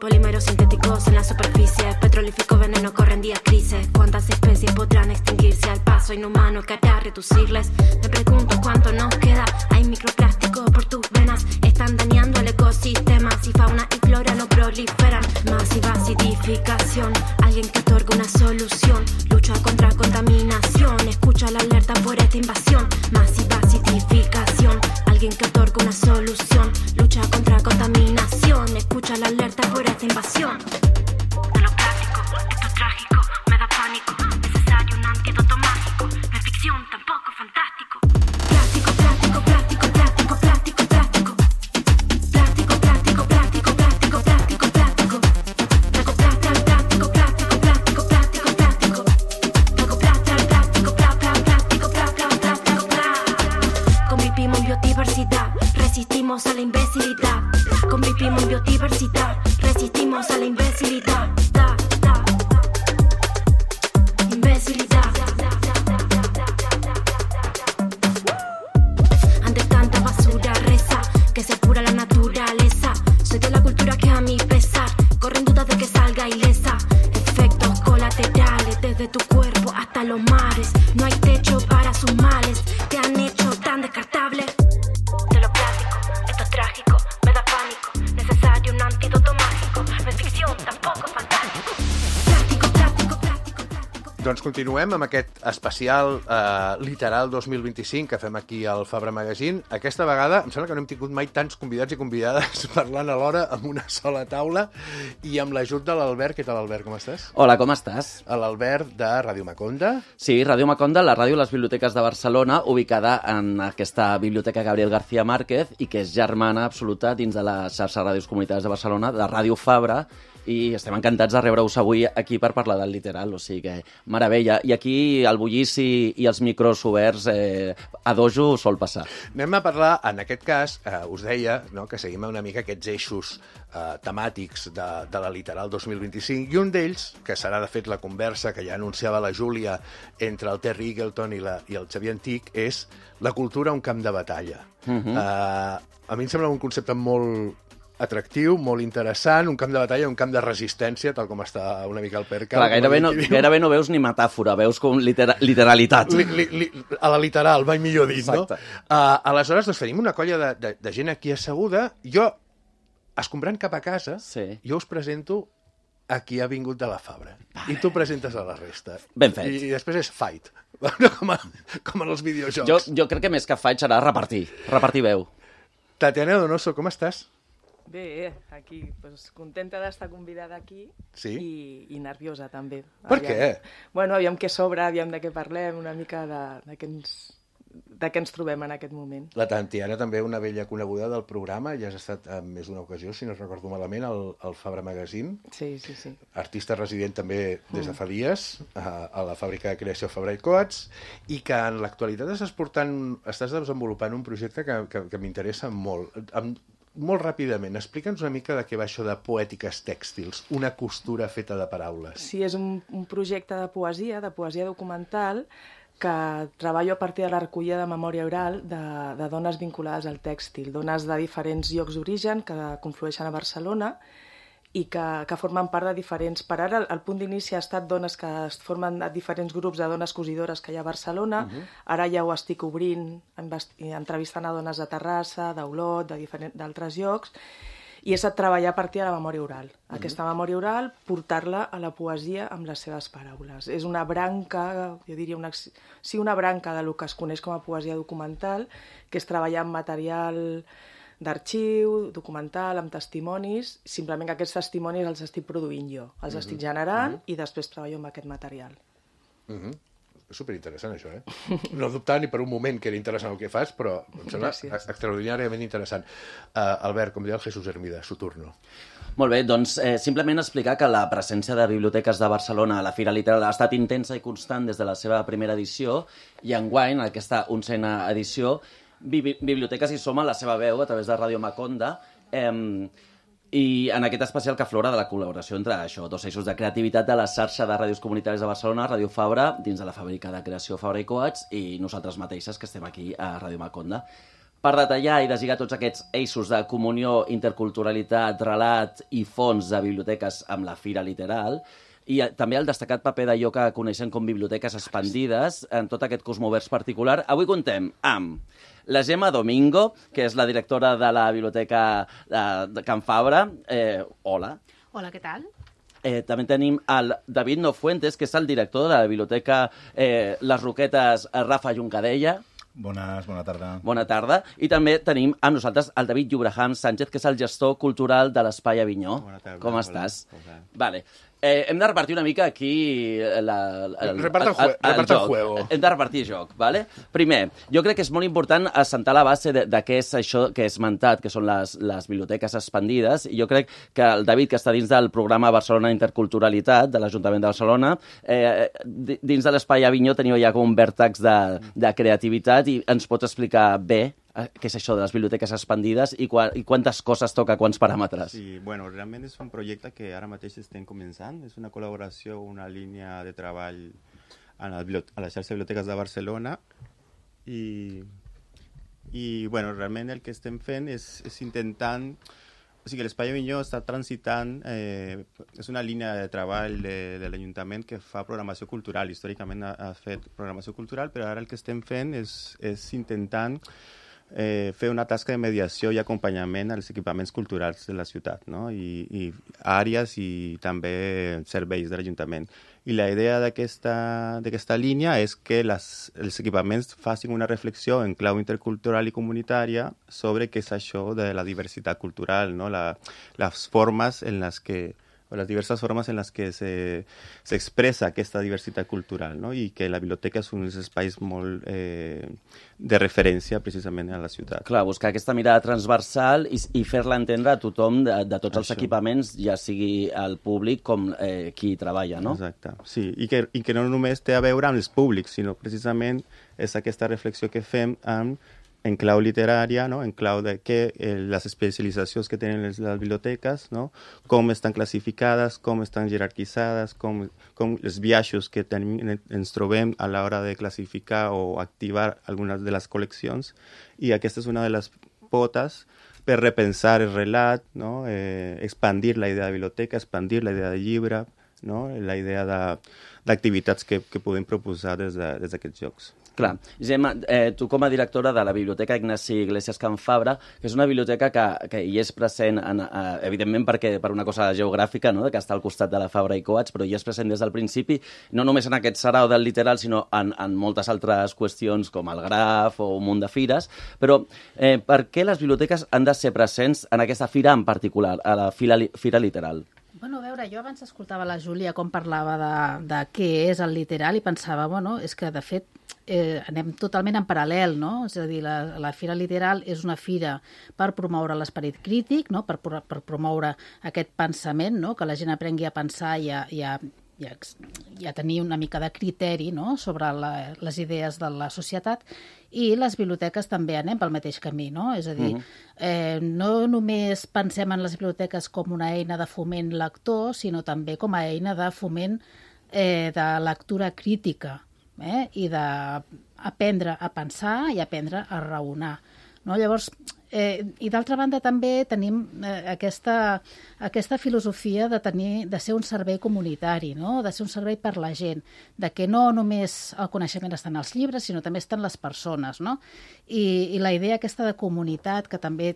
Polímeros sintéticos en la superficie, petrolífico veneno corren días crisis. ¿Cuántas especies podrán extinguirse al paso inhumano que hará reducirles? Me pregunto cuánto nos queda. Hay microplástico por tus venas, están dañando el ecosistema. Si fauna y flora no proliferan. Masiva acidificación, alguien que otorga una solución. Lucha contra contaminación, escucha la alerta por esta invasión. Masiva acidificación, alguien que otorga una solución. Lucha contra contaminación, escucha la alerta por esta invasión. De lo plástico, esto es trágico, me da pánico. Necesario un antídoto mágico, no es ficción, tampoco fantástico. Plástico, plástico, plástico, plástico, plástico, plástico. Plástico, plástico, plástico, plástico, plástico, plástico. Recoplastar el plástico, plástico, plástico, plástico, plástico. Recoplastar el plástico, plástico, plástico, plástico. Convivimos en biodiversidad, resistimos a la imbecilidad. Convivimos en biodiversidad, resistimos a la imbecilidad. Imbecilidad. Ante tanta basura reza que se apura la naturaleza. Soy de la cultura que a mi pesar corren dudas de que salga ilesa. Efectos colaterales desde tu cuerpo hasta los mares. No hay techo para sus males, te han hecho tan descartable. De lo plástico, esto es trágico, me da pánico. Necesario un antídoto mágico, no es ficción, tampoco fantástico. Plástico, plástico, plástico, plástico. Doncs continuem amb aquest especial literal 2025 que fem aquí al Fabra Magazine. Aquesta vegada em sembla que no hem tingut mai tants convidats i convidades parlant alhora amb una sola taula i amb l'ajut de l'Albert. Què tal, Albert? Com estàs? Hola, com estàs? L'Albert de Ràdio Maconda. Sí, Ràdio Maconda, la ràdio de les biblioteques de Barcelona, ubicada en aquesta biblioteca Gabriel García Márquez i que és germana absoluta dins de la xarxa de ràdios comunitàries de Barcelona, de Ràdio Fabra, i estem encantats de rebre-us avui aquí per parlar del literal, o sigui que meravella. I aquí el bullici i els micros oberts a dojo sol passar. Anem a parlar, en aquest cas, us deia, no, que seguim una mica aquests eixos temàtics de la literal 2025, i un d'ells, que serà de fet la conversa que ja anunciava la Júlia entre el Terry Eagleton i el Xavier Antic, és la cultura un camp de batalla. A mi em sembla un concepte molt atractiu, molt interessant, un camp de batalla, un camp de resistència, tal com està una mica el percal. Clar, gairebé no veus ni metàfora, veus com literalitat. A la literal, mai millor dit, exacte. No? Aleshores, doncs, tenim una colla de gent aquí asseguda. Jo, escombrant cap a casa, sí. Jo us presento a qui ha vingut de la Fabra. I tu presentes a la resta. Ben fet. I després és fight, com en els videojocs. Jo crec que més que fight serà repartir veu. Tatiana Donoso, com estàs? Bé, aquí, pues, contenta d'estar convidada aquí, sí? I nerviosa també. Per què? Bueno, aviam què sobra, aviam de què parlem, una mica de què ens trobem en aquest moment. La Tatiana també una vella coneguda del programa, ja has estat en més d'una ocasió, si no recordo malament, al Fabra Magazine. Sí. Artista resident també des de fa dies a la fàbrica de creació Fabra i Coats, i que en l'actualitat estàs desenvolupant un projecte que m'interessa molt. Molt ràpidament, explica'ns una mica de què va això de Poètiques Tèxtils, una costura feta de paraules. Sí, és un projecte de poesia documental, que treballo a partir de la recollida de memòria oral de dones vinculades al tèxtil, dones de diferents llocs d'origen que conflueixen a Barcelona i que formen part de diferents... Per ara, el punt d'inici ha estat dones que es formen a diferents grups de dones cosidores que hi ha a Barcelona. Ara ja ho estic obrint, entrevistant a dones de Terrassa, d'Olot, d'altres llocs, i he estat treballar a partir de la memòria oral. Aquesta memòria oral, portar-la a la poesia amb les seves paraules. És una branca, jo diria, una branca del que es coneix com a poesia documental, que és treballar amb material d'arxiu, documental, amb testimonis, simplement que aquests testimonis els estic produint jo, els estic generant i després treballo amb aquest material. És superinteressant, això, No dubtava ni per un moment que era interessant el que fas, però em sembla extraordinàriament interessant. Albert, com deia el Jesús Hermida, su turno. Molt bé, doncs simplement explicar que la presència de biblioteques de Barcelona a la Fira Literal ha estat intensa i constant des de la seva primera edició i enguany, en aquesta 11a edició, Biblioteques hi soma la seva veu a través de Ràdio Maconda i en aquest especial que aflora de la col·laboració entre això, dos eixos de creativitat de la xarxa de ràdios comunitàries de Barcelona, Ràdio Fabra, dins de la fàbrica de creació Fabra i Coats, i nosaltres mateixes que estem aquí a Ràdio Maconda. Per detallar i deslligar tots aquests eixos de comunió, interculturalitat, relat i fons de biblioteques amb la Fira Literal, i també el destacat paper d'allò que coneixem com biblioteques expandides en tot aquest cosmovers particular. Avui contem amb la Gemma Domingo, que és la directora de la Biblioteca de Can Fabra. Hola. Hola, què tal? També tenim el David Nofuentes, que és el director de la Biblioteca Les Roquetes Rafa Juncadella. Bona tarda. Bona tarda. I també tenim amb nosaltres el David Llobraham Sánchez, que és el gestor cultural de l'Espai Avinyó. Bona tarda. Com estàs? Vale. Hem de repartir una mica aquí el juego. Hem de repartir joc, ¿vale? Primer, jo crec que és molt important assentar la base de què és això que he esmentat, que són les biblioteques expandides, i jo crec que el David, que està dins del programa Barcelona Interculturalitat de l'Ajuntament de Barcelona, dins de l'Espai Avinyó teniu ja com un vèrtex de creativitat i ens pots explicar bé què és això de les biblioteques expandides i quantes coses toca, quants paràmetres. Sí, bueno, realment és un projecte que ara mateix estem començant. És una col·laboració, una línia de treball a la xarxa de biblioteques de Barcelona i bueno, realment el que estem fent és intentant... O sigui, l'Espai Avinyó està transitant, és una línia de treball de l'Ajuntament que fa programació cultural. Històricament ha fet programació cultural, però ara el que estem fent és intentant fer una tasca de mediació i acompanyament als equipaments culturals de la ciutat, no? I àrees i també serveis de l'Ajuntament. I la idea d'aquesta línia és que els equipaments facin una reflexió en clau intercultural i comunitària sobre què és això de la diversitat cultural, no? Les formes en les que les diverses formes en les que s'expressa aquesta diversitat cultural, no? I que la biblioteca és un dels espais molt de referència precisament a la ciutat. Clar, buscar aquesta mirada transversal i fer-la entendre a tothom de tots els equipaments, ja sigui el públic com qui hi treballa, no? Exacte, sí, i que no només té a veure amb els públics, sinó precisament és aquesta reflexió que fem en clau literària, no? En clau de les especialitzacions que tenen les biblioteques, no? Com estan classificades, com estan jerarquitzades, com els biaixos que ens trobem a l'hora de classificar o activar algunes de les col·leccions. I aquesta és una de les potes per repensar el relat, no? Expandir la idea de biblioteca, expandir la idea de llibre, no? La idea d'activitats que podem proposar des d'aquests llocs. Clar. Gemma, tu com a directora de la Biblioteca Ignasi Iglesias Can Fabra, que és una biblioteca que hi és present, evidentment per una cosa geogràfica, no? Que està al costat de la Fabra i Coats, però hi és present des del principi, no només en aquest sarau del literal, sinó en moltes altres qüestions com el Graf o un munt de fires. Però per què les biblioteques han de ser presents en aquesta fira en particular, a la Fira Literal? Bueno, a veure, jo abans escoltava la Júlia com parlava de què és el literal i pensava, bueno, és que de fet anem totalment en paral·lel, no? És a dir, la Fira Literal és una fira per promoure l'esperit crític, no? Per promoure aquest pensament, no? Que la gent aprengui a pensar i a tenir una mica de criteri, no? Sobre les idees de la societat, i les biblioteques també anem pel mateix camí, no? És a dir, no només pensem en les biblioteques com una eina de foment lector, sinó també com a eina de foment de lectura crítica, i d'aprendre a pensar i aprendre a raonar, no? Llavors, i d'altra banda també tenim aquesta filosofia de ser un servei comunitari, no? De ser un servei per la gent, de que no només el coneixement està en els llibres, sinó també està en les persones, no? I la idea aquesta de comunitat que també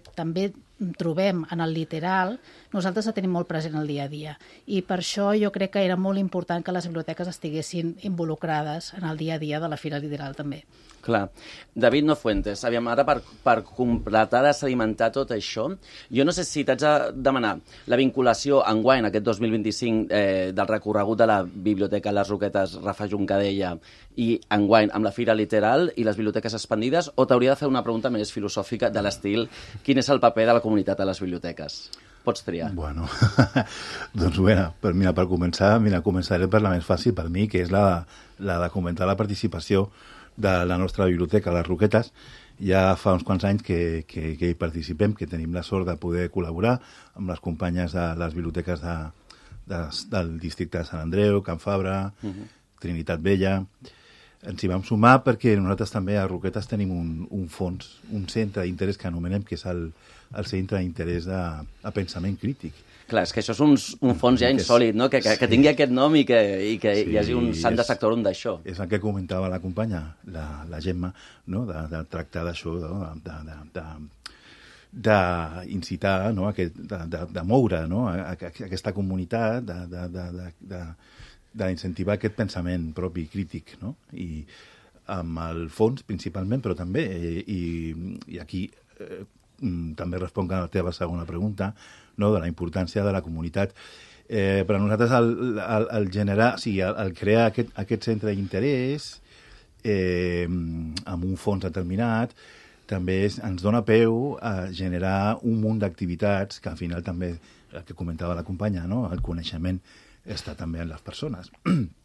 trobem en el literal, nosaltres la tenim molt present al dia a dia. I per això jo crec que era molt important que les biblioteques estiguessin involucrades en el dia a dia de la Fira Literal també. Clar. David Nofuentes, aviam, ara per completar de sedimentar tot això. Jo no sé si t'haig de demanar la vinculació enguany, aquest 2025, del recorregut de la Biblioteca Les Roquetes Rafa Juncadella i enguany amb la Fira Literal i les biblioteques expandides, o t'hauria de fer una pregunta més filosòfica de l'estil quin és el paper de la comunitat a les biblioteques? Pots triar. Bueno, doncs per començar, començaré per la més fàcil per mi, que és la de comentar la participació de la nostra biblioteca, les Roquetes. Ja fa uns quants anys que hi participem, que tenim la sort de poder col·laborar amb les companyes de les biblioteques del districte de Sant Andreu, Can Fabra, Trinitat Vella. Ens hi vam sumar perquè nosaltres també a Roquetes tenim un fons, un centre d'interès que anomenem, que és el centre d'interès de pensament crític. Clar, és que això és un fons ja insòlid, no? Que tingui aquest nom i que hi hagi un sant de sectorum d'això. És el que comentava la companya, la Gemma, no? de tractar d'això, no? d'incitar, no? de moure, no? aquesta comunitat, d'incentivar aquest pensament propi crític, no? I amb el fons principalment, però també, i aquí també responc a la teva segona pregunta, no? De la importància de la comunitat. Per a nosaltres el crear aquest centre d'interès amb un fons determinat també ens dona peu a generar un munt d'activitats que al final també, el que comentava la companya, no? El coneixement està també en les persones.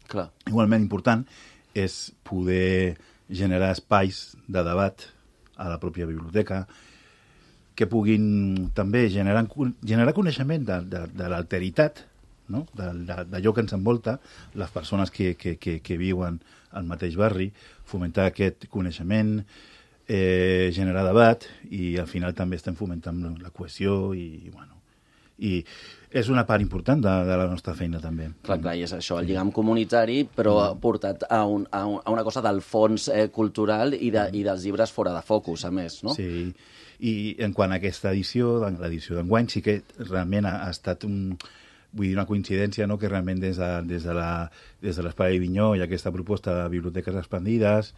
Clar. Igualment important és poder generar espais de debat a la pròpia biblioteca que puguin també generar coneixement de l'alteritat, no? D'allò que ens envolta, les persones que viuen al mateix barri, fomentar aquest coneixement, generar debat, i al final també estem fomentant la cohesió i és una part important de la nostra feina també. Clar, i és això, el lligam comunitari, però portat a una cosa del fons cultural i dels llibres fora de focus, a més, no? Sí, i en quant a aquesta edició, l'edició d'enguany, sí que realment ha estat una coincidència, no? Que realment des de l'Espai Avinyó i aquesta proposta de biblioteques expandides,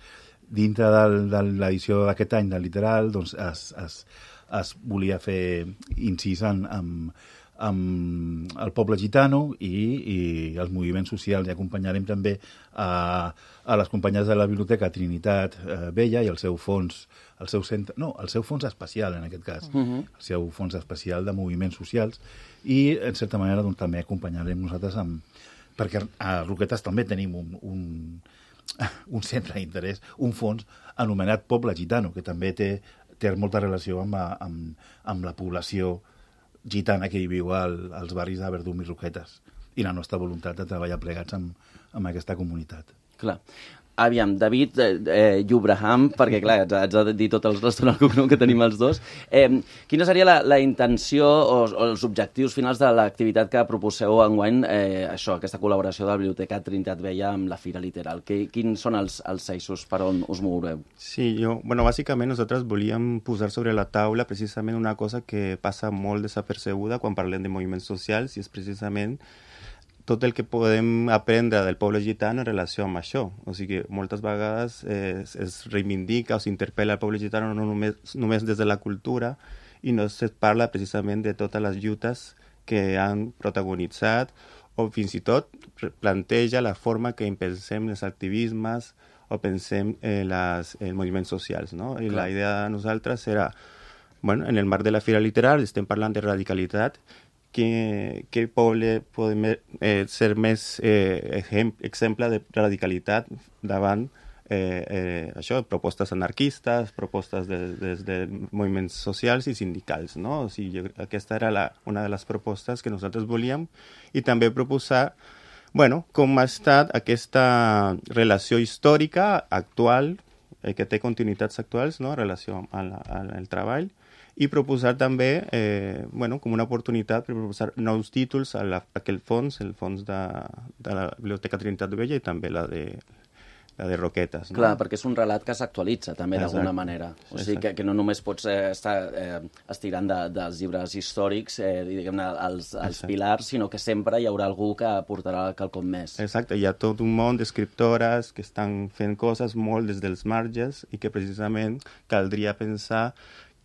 dintre de l'edició d'aquest any del Literal, doncs es volia fer incís amb el poble gitano i els moviments socials, i acompanyarem també a les companyes de la Biblioteca Trinitat Vella i el seu fons especial, en aquest cas, el seu fons especial de moviments socials, i en certa manera doncs, també acompanyarem nosaltres perquè a Roquetes també tenim un centre d'interès, un fons anomenat Poble Gitano, que també té molta relació amb la població gitana que hi viu als barris de Verdum i Roquetes, i la nostra voluntat de treballar plegats amb aquesta comunitat. Clar. Aviam, David Llubraham, perquè clar, haig de dir tots els restaurants al cognom que tenim els dos. Quina seria la intenció o els objectius finals de l'activitat que proposeu enguany, aquesta col·laboració de la Biblioteca Trinitat Vella amb la Fira Literal? Quins són els eixos per on us moureu? Sí, bàsicament nosaltres volíem posar sobre la taula precisament una cosa que passa molt desapercebuda quan parlem de moviments socials, i és precisament tot el que podem aprendre del poble gitano en relació amb això. O sigui, moltes vegades es reivindica o s'interpel·la el poble gitano no només des de la cultura, i no es parla precisament de totes les lluites que han protagonitzat, o fins i tot planteja la forma que pensem els activismes o pensem els moviments socials, no? I la idea de nosaltres era, en el marc de la Fira Literal estem parlant de radicalitat, que poble podem ser més exemple de radicalitat davant propostes anarquistes, propostes des de moviments socials i sindicals, no? O sigui, aquesta era una de les propostes que nosaltres volíem, i també proposar com ha estat aquesta relació històrica actual, que té continuïtats actuals, no? En relació amb el treball, i proposar també, com una oportunitat per proposar nous títols a aquell fons, el fons de la Biblioteca Trinitat Vella, i també la de Roquetes. No? Clar, perquè és un relat que s'actualitza també d'alguna manera. O sigui, que no només pots estar estirant dels llibres històrics, diguem-ne, els pilars, sinó que sempre hi haurà algú que aportarà quelcom més. Exacte, hi ha tot un món d'escriptores que estan fent coses molt des dels marges, i que precisament caldria pensar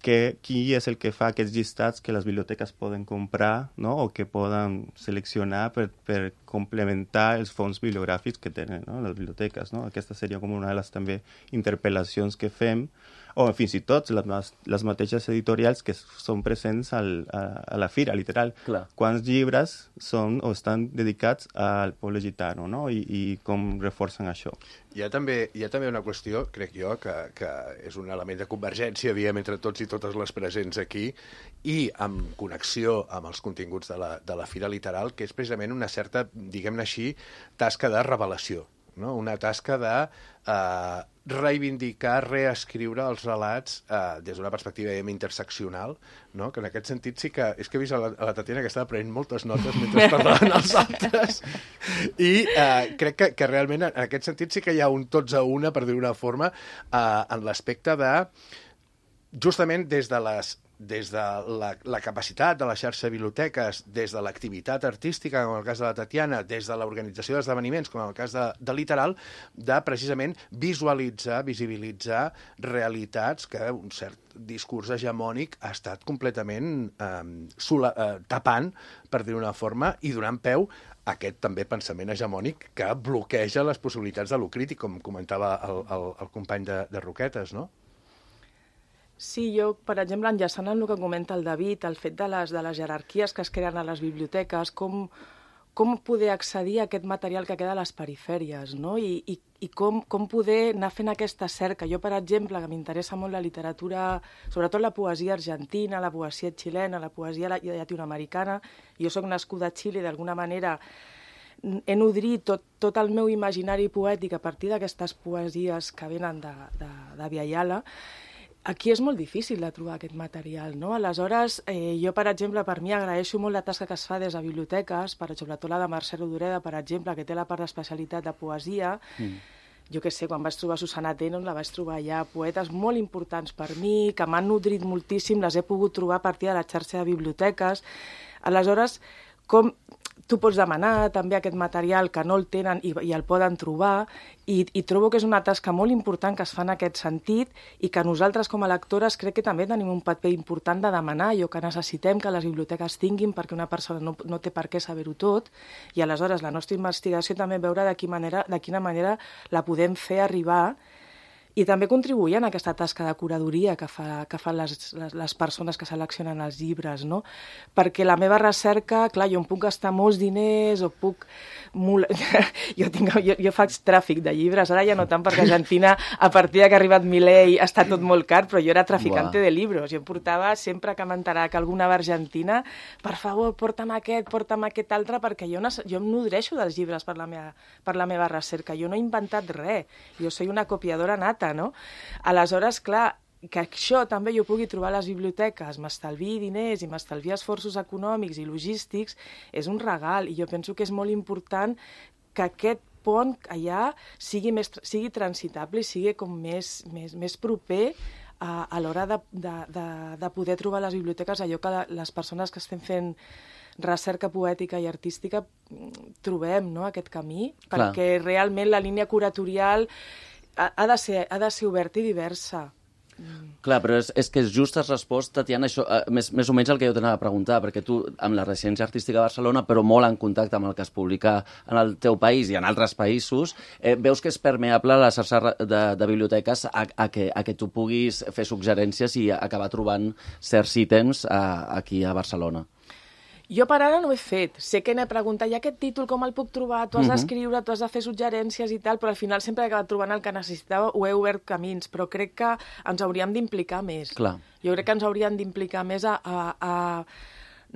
qui és el que fa aquests llistats que les biblioteques poden comprar, no? O que poden seleccionar per complementar els fons bibliogràfics que tenen, no? Les biblioteques. No? Aquesta seria com una de les també interpel·lacions que fem, o fins i tot les mateixes editorials que són presents a la fira, literal. Clar. Quants llibres són o estan dedicats al poble gitano, no? I com reforcen això. Hi ha també una qüestió, crec jo, que és un element de convergència, diem, entre tots i totes les presents aquí, i amb connexió amb els continguts de la Fira Literal, que és precisament una certa, diguem-ne així, tasca de revelació, no? Una tasca de reivindicar, reescriure els relats des d'una perspectiva interseccional, no? Que en aquest sentit sí que... És que he vist a la Tatiana que estava prenent moltes notes mentre parlaven els altres, i crec que realment en aquest sentit sí que hi ha un tots a una, per dir-ho d'una forma, en l'aspecte de, justament des de la capacitat de la xarxa de biblioteques, des de l'activitat artística, com en el cas de la Tatiana, des de l'organització d'esdeveniments, com en el cas de Literal, de precisament visualitzar, visibilitzar realitats que un cert discurs hegemònic ha estat completament tapant, per dir-ho d'una forma, i donant peu a aquest també pensament hegemònic que bloqueja les possibilitats de lo crític, com comentava el company de Roquetes, no? Sí, jo, per exemple, enllaçant amb el que comenta el David, el fet de les jerarquies que es creen a les biblioteques, com poder accedir a aquest material que queda a les perifèries, no? I com poder anar fent aquesta cerca. Jo, per exemple, que m'interessa molt la literatura, sobretot la poesia argentina, la poesia xilena, la poesia llatinoamericana. Jo soc nascuda a Xile i d'alguna manera he nodrit tot el meu imaginari poètic a partir d'aquestes poesies que venen de Viayala. Aquí és molt difícil de trobar aquest material, no? Aleshores, jo, per exemple, per mi agraeixo molt la tasca que es fa des de biblioteques, sobretot la de Mercè Rodoreda, per exemple, que té la part d'especialitat de poesia. Jo què sé, quan vaig trobar Susana Tenon, la vaig trobar ja poetes molt importants per mi, que m'han nodrit moltíssim, les he pogut trobar a partir de la xarxa de biblioteques. Aleshores, com tu pots demanar també aquest material que no el tenen i el poden trobar, i trobo que és una tasca molt important que es fa en aquest sentit i que nosaltres com a lectores crec que també tenim un paper important de demanar allò que necessitem que les biblioteques tinguin, perquè una persona no té per què saber-ho tot, i aleshores la nostra investigació també veure de quina manera la podem fer arribar i també contribuir en aquesta tasca de curadoria que fan les persones que seleccionen els llibres, no? Perquè la meva recerca, clar, jo em puc gastar molts diners o puc... Jo faig tràfic de llibres, ara ja no tant, perquè a Argentina, a partir que ha arribat Milei, està tot molt car, però jo era traficante de libros. Jo em portava, sempre que m'enterava que alguna va a Argentina, per favor, porta'm aquest altre, perquè jo em nodreixo dels llibres per la meva recerca. Jo no he inventat res. Jo soy una copiadora nata, no? Aleshores, clar, que això també jo pugui trobar a les biblioteques, m'estalvi diners i m'estalvi esforços econòmics i logístics, és un regal, i jo penso que és molt important que aquest pont allà sigui transitable i sigui com més proper a l'hora de poder trobar a les biblioteques allò que les persones que estem fent recerca poètica i artística trobem, no?, aquest camí, perquè realment la línia curatorial ha de ser oberta i diversa. Clar, però és que és just has respost, Tatiana, això, més o menys el que jo t'anava a preguntar, perquè tu, amb la residència artística de Barcelona, però molt en contacte amb el que es publica en el teu país i en altres països, veus que és permeable la xarxa de biblioteques a que tu puguis fer suggerències i acabar trobant certs ítems aquí a Barcelona? Jo per ara no ho he fet. Sé que n'he preguntat, i aquest títol com el puc trobar? Tu has d'escriure, tu has de fer suggerències i tal, però al final sempre he acabat trobant el que necessitava, ho he obert camins, però crec que ens hauríem d'implicar més. Clar. Jo crec que ens hauríem d'implicar més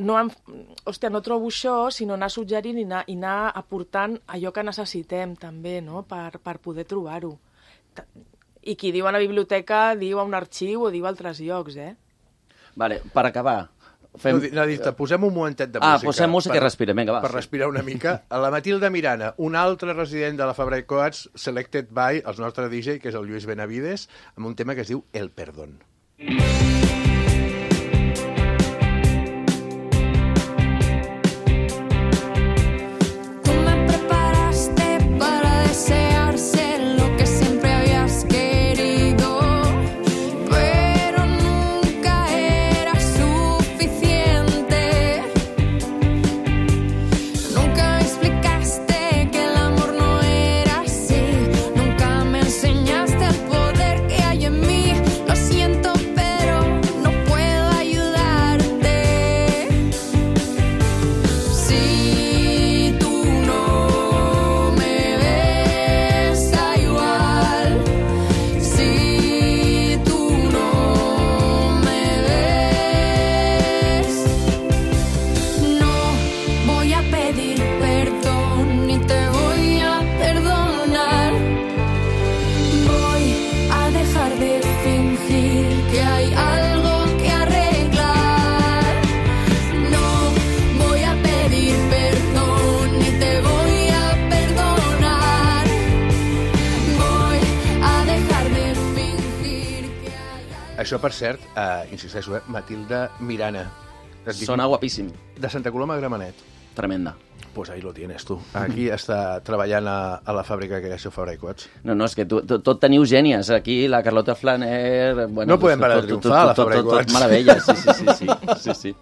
no trobo això, sinó anar suggerint i anar aportant allò que necessitem també, no?, per poder trobar-ho. I qui diu a la biblioteca diu a un arxiu o diu a altres llocs, Vale, per acabar... Posem un momentet de música. Posem música i respirem, vinga, va. Per respirar una mica. A la Matilda Mirana, un altre resident de la Fabra i Coats, selected by el nostre DJ, que és el Lluís Benavides, amb un tema que es diu El Perdón. Pero nunca Això, per cert, insisteixo, Matilda Mirana. Sona guapíssim. De Santa Coloma a Gramenet. Tremenda. Pues ahí lo tienes, tu. Aquí està treballant a la fàbrica que això Fabra i Coats. No, és que tot teniu gènies. Aquí la Carlota Flaner... Bueno, no podem parar de triomfar, a la Fabra i Coats. Tot meravella, sí.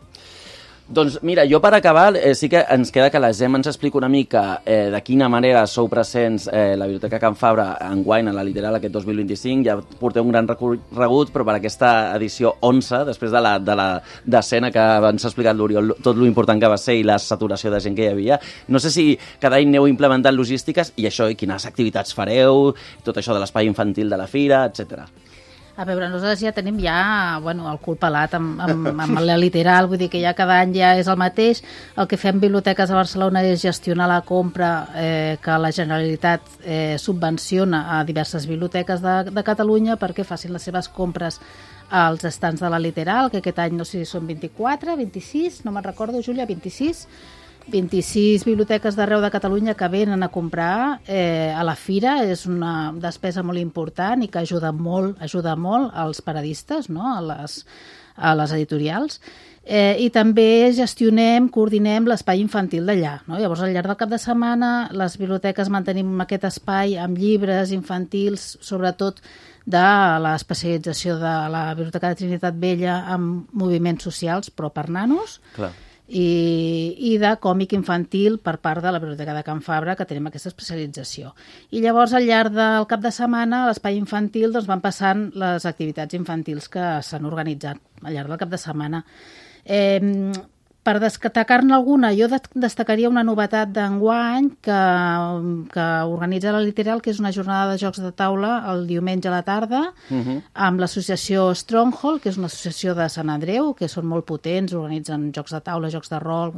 Doncs mira, jo per acabar sí que ens queda que la Gemma ens explica una mica de quina manera sou presents la Biblioteca Can Fabra enguany a la Literal aquest 2025. Ja porteu un gran recorregut, però per aquesta edició 11, després de la decena que ens ha explicat l'Oriol, tot lo important que va ser i la saturació de gent que hi havia. No sé si cada any aneu implementant logístiques i això, i quines activitats fareu, tot això de l'espai infantil de la fira, etc. A veure, nosaltres ja tenim el cul pelat amb la Literal, vull dir que ja cada any ja és el mateix. El que fem Biblioteques a Barcelona és gestionar la compra que la Generalitat subvenciona a diverses biblioteques de Catalunya perquè facin les seves compres als estants de la Literal, que aquest any no sé si són 24, 26, no me'n recordo, Júlia, 26 biblioteques d'arreu de Catalunya que venen a comprar a la fira. És una despesa molt important i que ajuda molt als paradistes, no? a les editorials. I també coordinem l'espai infantil d'allà. No? Llavors, al llarg del cap de setmana, les biblioteques mantenim aquest espai amb llibres infantils, sobretot de l'especialització de la Biblioteca de Trinitat Vella en moviments socials, però per nanos. Clar. I de còmic infantil per part de la Biblioteca de Can Fabra, que tenim aquesta especialització. I llavors, al llarg del cap de setmana, a l'espai infantil van passant les activitats infantils que s'han organitzat al llarg del cap de setmana. Per destacar-ne alguna, jo destacaria una novetat d'enguany que organitza la Literal, que és una jornada de jocs de taula el diumenge a la tarda, amb l'associació Stronghold, que és una associació de Sant Andreu, que són molt potents, organitzen jocs de taula, jocs de rol,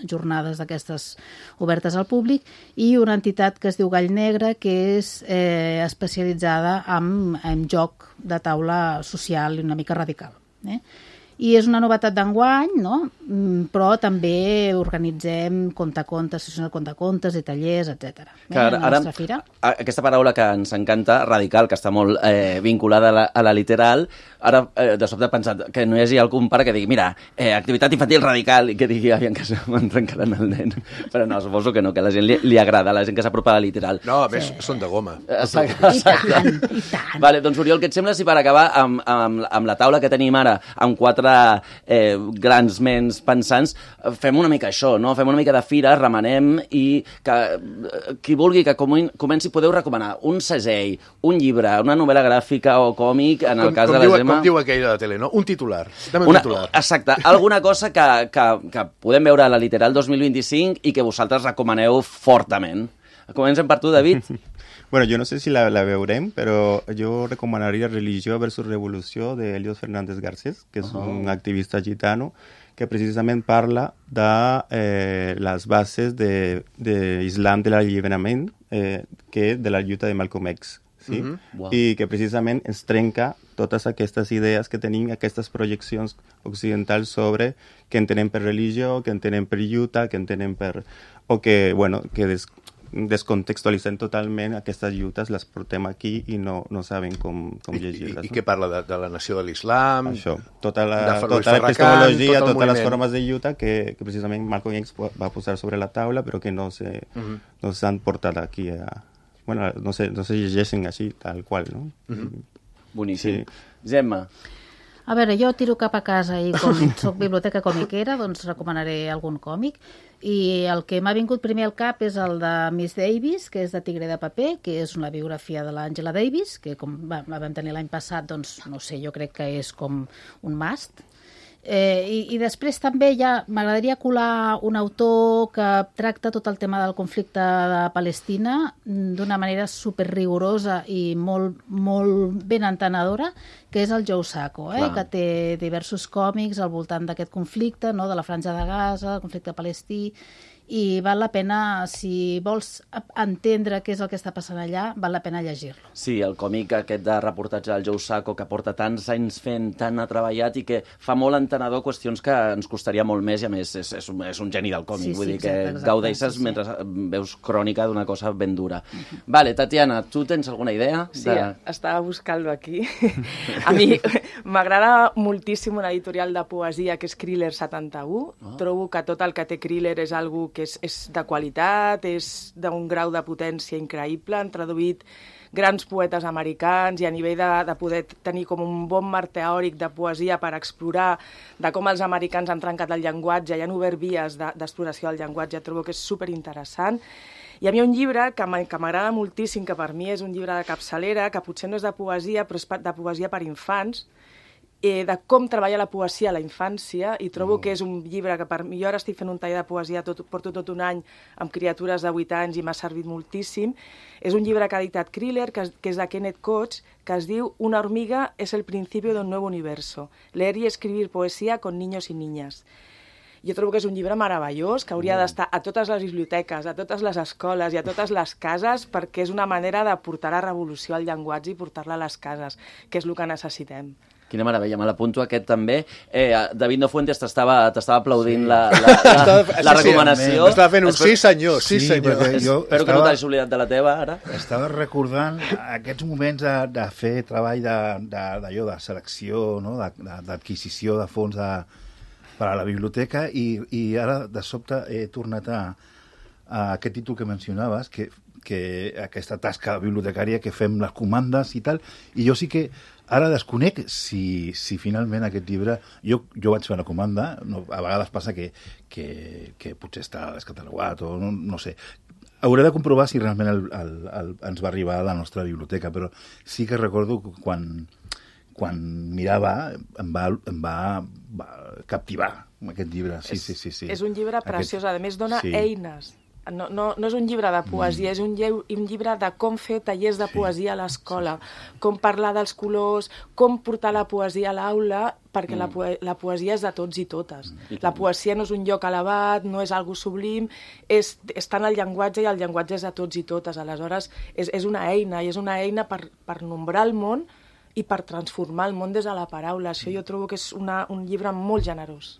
jornades d'aquestes obertes al públic, i una entitat que es diu Gall Negre, que és especialitzada en joc de taula social i una mica radical. I és una novetat d'enguany, no? Però també organitzem contacontes, sessions de contacontes i tallers, etc. Ara, aquesta paraula que ens encanta, radical, que està molt vinculada a la Literal, ara de sobte he pensat que no hi hagi algun pare que digui, mira, activitat infantil radical, i que digui, aviam que me'n trencaran el nen. Però no, suposo que no, que a la gent li agrada, a la gent que s'apropa a la Literal. No, a més, són de goma. Exacte. I tant. Vale, doncs, Oriol, què et sembla si per acabar amb la taula que tenim ara, amb 4 grans ments pensants, fem una mica això, no? Fem una mica de fira, remenem, i que qui vulgui que comenci, podeu recomanar un segell, un llibre, una novel·la gràfica o còmic, en el cas de la Gemma... Com diu aquell de la tele, no? Un titular. Dame un titular. Exacte. Alguna cosa que podem veure a la Literal 2025 i que vosaltres recomaneu fortament. Comencem per tu, David. Bueno, yo no sé si la veurem, pero yo recomendaría Religió versus Revolució de Helios Fernández Garcés, que és un activista gitano que precisament parla de les bases de l'Islam de l'alliberament, que de la lluita de Malcolm X. Sí? Wow. I que precisament ens trenca totes aquestes idees que tenim, aquestes projeccions occidentals sobre què entenem per religió, què entenem per lluita, què entenem per... o que, bueno, que descontextualitzem totalment aquestes lluites, les portem aquí i no saben com llegir-les. I què parla de la nació de l'islam? Això, tota l'epistemologia, totes les formes de lluita que precisament Malcolm X va posar sobre la taula, però que no s'han portat aquí a... Bueno, no se llegeixen així, tal qual, no? Boníssim. Sí. Gemma? A veure, jo tiro cap a casa i com soc biblioteca comiquera, doncs recomanaré algun còmic. I el que m'ha vingut primer al cap és el de Miss Davis, que és de Tigre de paper, que és una biografia de l'Angela Davis, que com la vam tenir l'any passat, doncs no sé, jo crec que és com un must. I després també ja m'agradaria colar un autor que tracta tot el tema del conflicte de Palestina d'una manera superrigorosa i molt, molt ben entenedora, que és el Joe Sacco, que té diversos còmics al voltant d'aquest conflicte, no? De la Franja de Gaza, el conflicte palestí, i val la pena, si vols entendre què és el que està passant allà, val la pena llegir-lo. Sí, el còmic aquest de reportatge del Joe Sacco, que porta tants anys fent, tant ha treballat i que fa molt entenedor qüestions que ens costaria molt més, i a més és un geni del còmic, vull dir que gaudeixes mentre veus crònica d'una cosa ben dura. Vale, Tatiana, tu tens alguna idea? Sí, estava buscant-lo aquí. A mi m'agrada moltíssim una editorial de poesia que és Kriller 71. Trobo que tot el que té Kriller és algo que és de qualitat, és d'un grau de potència increïble. Han traduït grans poetes americans i a nivell de poder tenir com un bon marc teòric de poesia per explorar de com els americans han trencat el llenguatge i han obert vies d'exploració del llenguatge. Trobo que és superinteressant. I a mi hi ha un llibre que m'agrada moltíssim, que per mi és un llibre de capçalera, que potser no és de poesia, però és de poesia per infants, de com treballa la poesia a la infància, i trobo que és un llibre que per mi, jo ara estic fent un taller de poesia, porto tot un any amb criatures de 8 anys i m'ha servit moltíssim. És un llibre que ha dictat Kriller, que és de Kenneth Koch, que es diu Una hormiga es el principio de un nuevo universo. Leer y escribir poesía con niños y niñas. Jo trobo que és un llibre meravellós, que hauria d'estar a totes les biblioteques, a totes les escoles i a totes les cases, perquè és una manera de portar la revolució al llenguatge i portar-la a les cases, que és el que necessitem. Quina meravella, me l'apunto aquest també. David Nofuentes t'estava aplaudint la recomanació. Estava fent un sí senyor, sí senyor. Espero que no t'hagis oblidat de la teva, ara. Estava recordant aquests moments de fer treball d'allò, de selecció, d'adquisició de fons per a la biblioteca, i ara de sobte he tornat a aquest títol que mencionaves, que aquesta tasca bibliotecària que fem les comandes i tal, i jo sí que ara desconec si finalment aquest llibre... Jo vaig fer una comanda, a vegades passa que potser està descatalogat o no sé. Hauré de comprovar si realment ens va arribar a la nostra biblioteca, però sí que recordo quan mirava em va captivar aquest llibre. Sí. És un llibre preciós, a més dona eines. No és un llibre de poesia, és un llibre de com fer tallers de poesia a l'escola, com parlar dels colors, com portar la poesia a l'aula, perquè la poesia és de tots i totes. La poesia no és un lloc elevat, no és algo sublim, està en el llenguatge, i el llenguatge és de tots i totes. Aleshores, és una eina, i és una eina per nombrar el món i per transformar el món des de la paraula. Això jo trobo que és un llibre molt generós.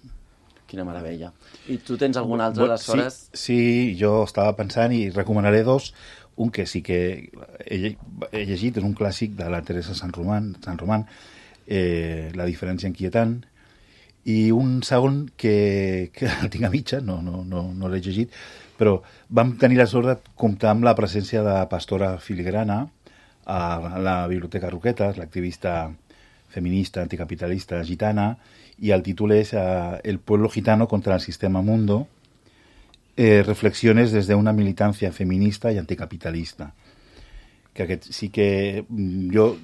Quina meravella. I tu tens algun altre, aleshores? Sí, jo estava pensant i recomanaré dos. Un que sí que he llegit, és un clàssic de la Teresa Sant Román, La diferència inquietant, i un segon que el tinc a mitja, no l'he llegit, però vam tenir la sort de comptar amb la presència de Pastora Filigrana a la Biblioteca Roquetes, l'activista feminista, anticapitalista gitana, y el título es El pueblo gitano contra el sistema mundo, reflexiones desde una militancia feminista y anticapitalista. Que aquest sí que jo,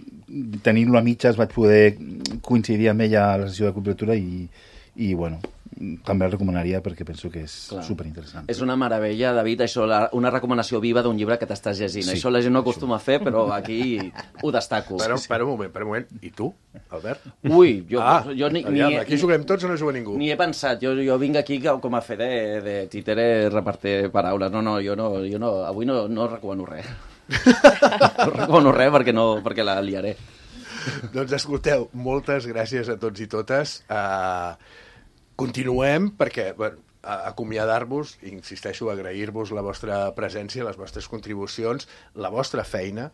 tenint-lo a mitges, vaig poder coincidir amb ella a la sessió de cultura i bueno, també el recomanaria perquè penso que és superinteressant. És una meravella, David, això, una recomanació viva d'un llibre que t'estàs llegint. Això la gent no acostuma a fer, però aquí ho destaco. Per un moment. I tu, Albert? Ui, jo aquí juguem tots o no juga ningú? Ni he pensat, jo vinc aquí com a fer de títere repartir paraules. No, jo no, avui no recomano res. No recomano res perquè la liaré. Doncs escolteu, moltes gràcies a tots i totes. Continuem perquè acomiadar-vos, insisteixo, agrair-vos la vostra presència, les vostres contribucions, la vostra feina,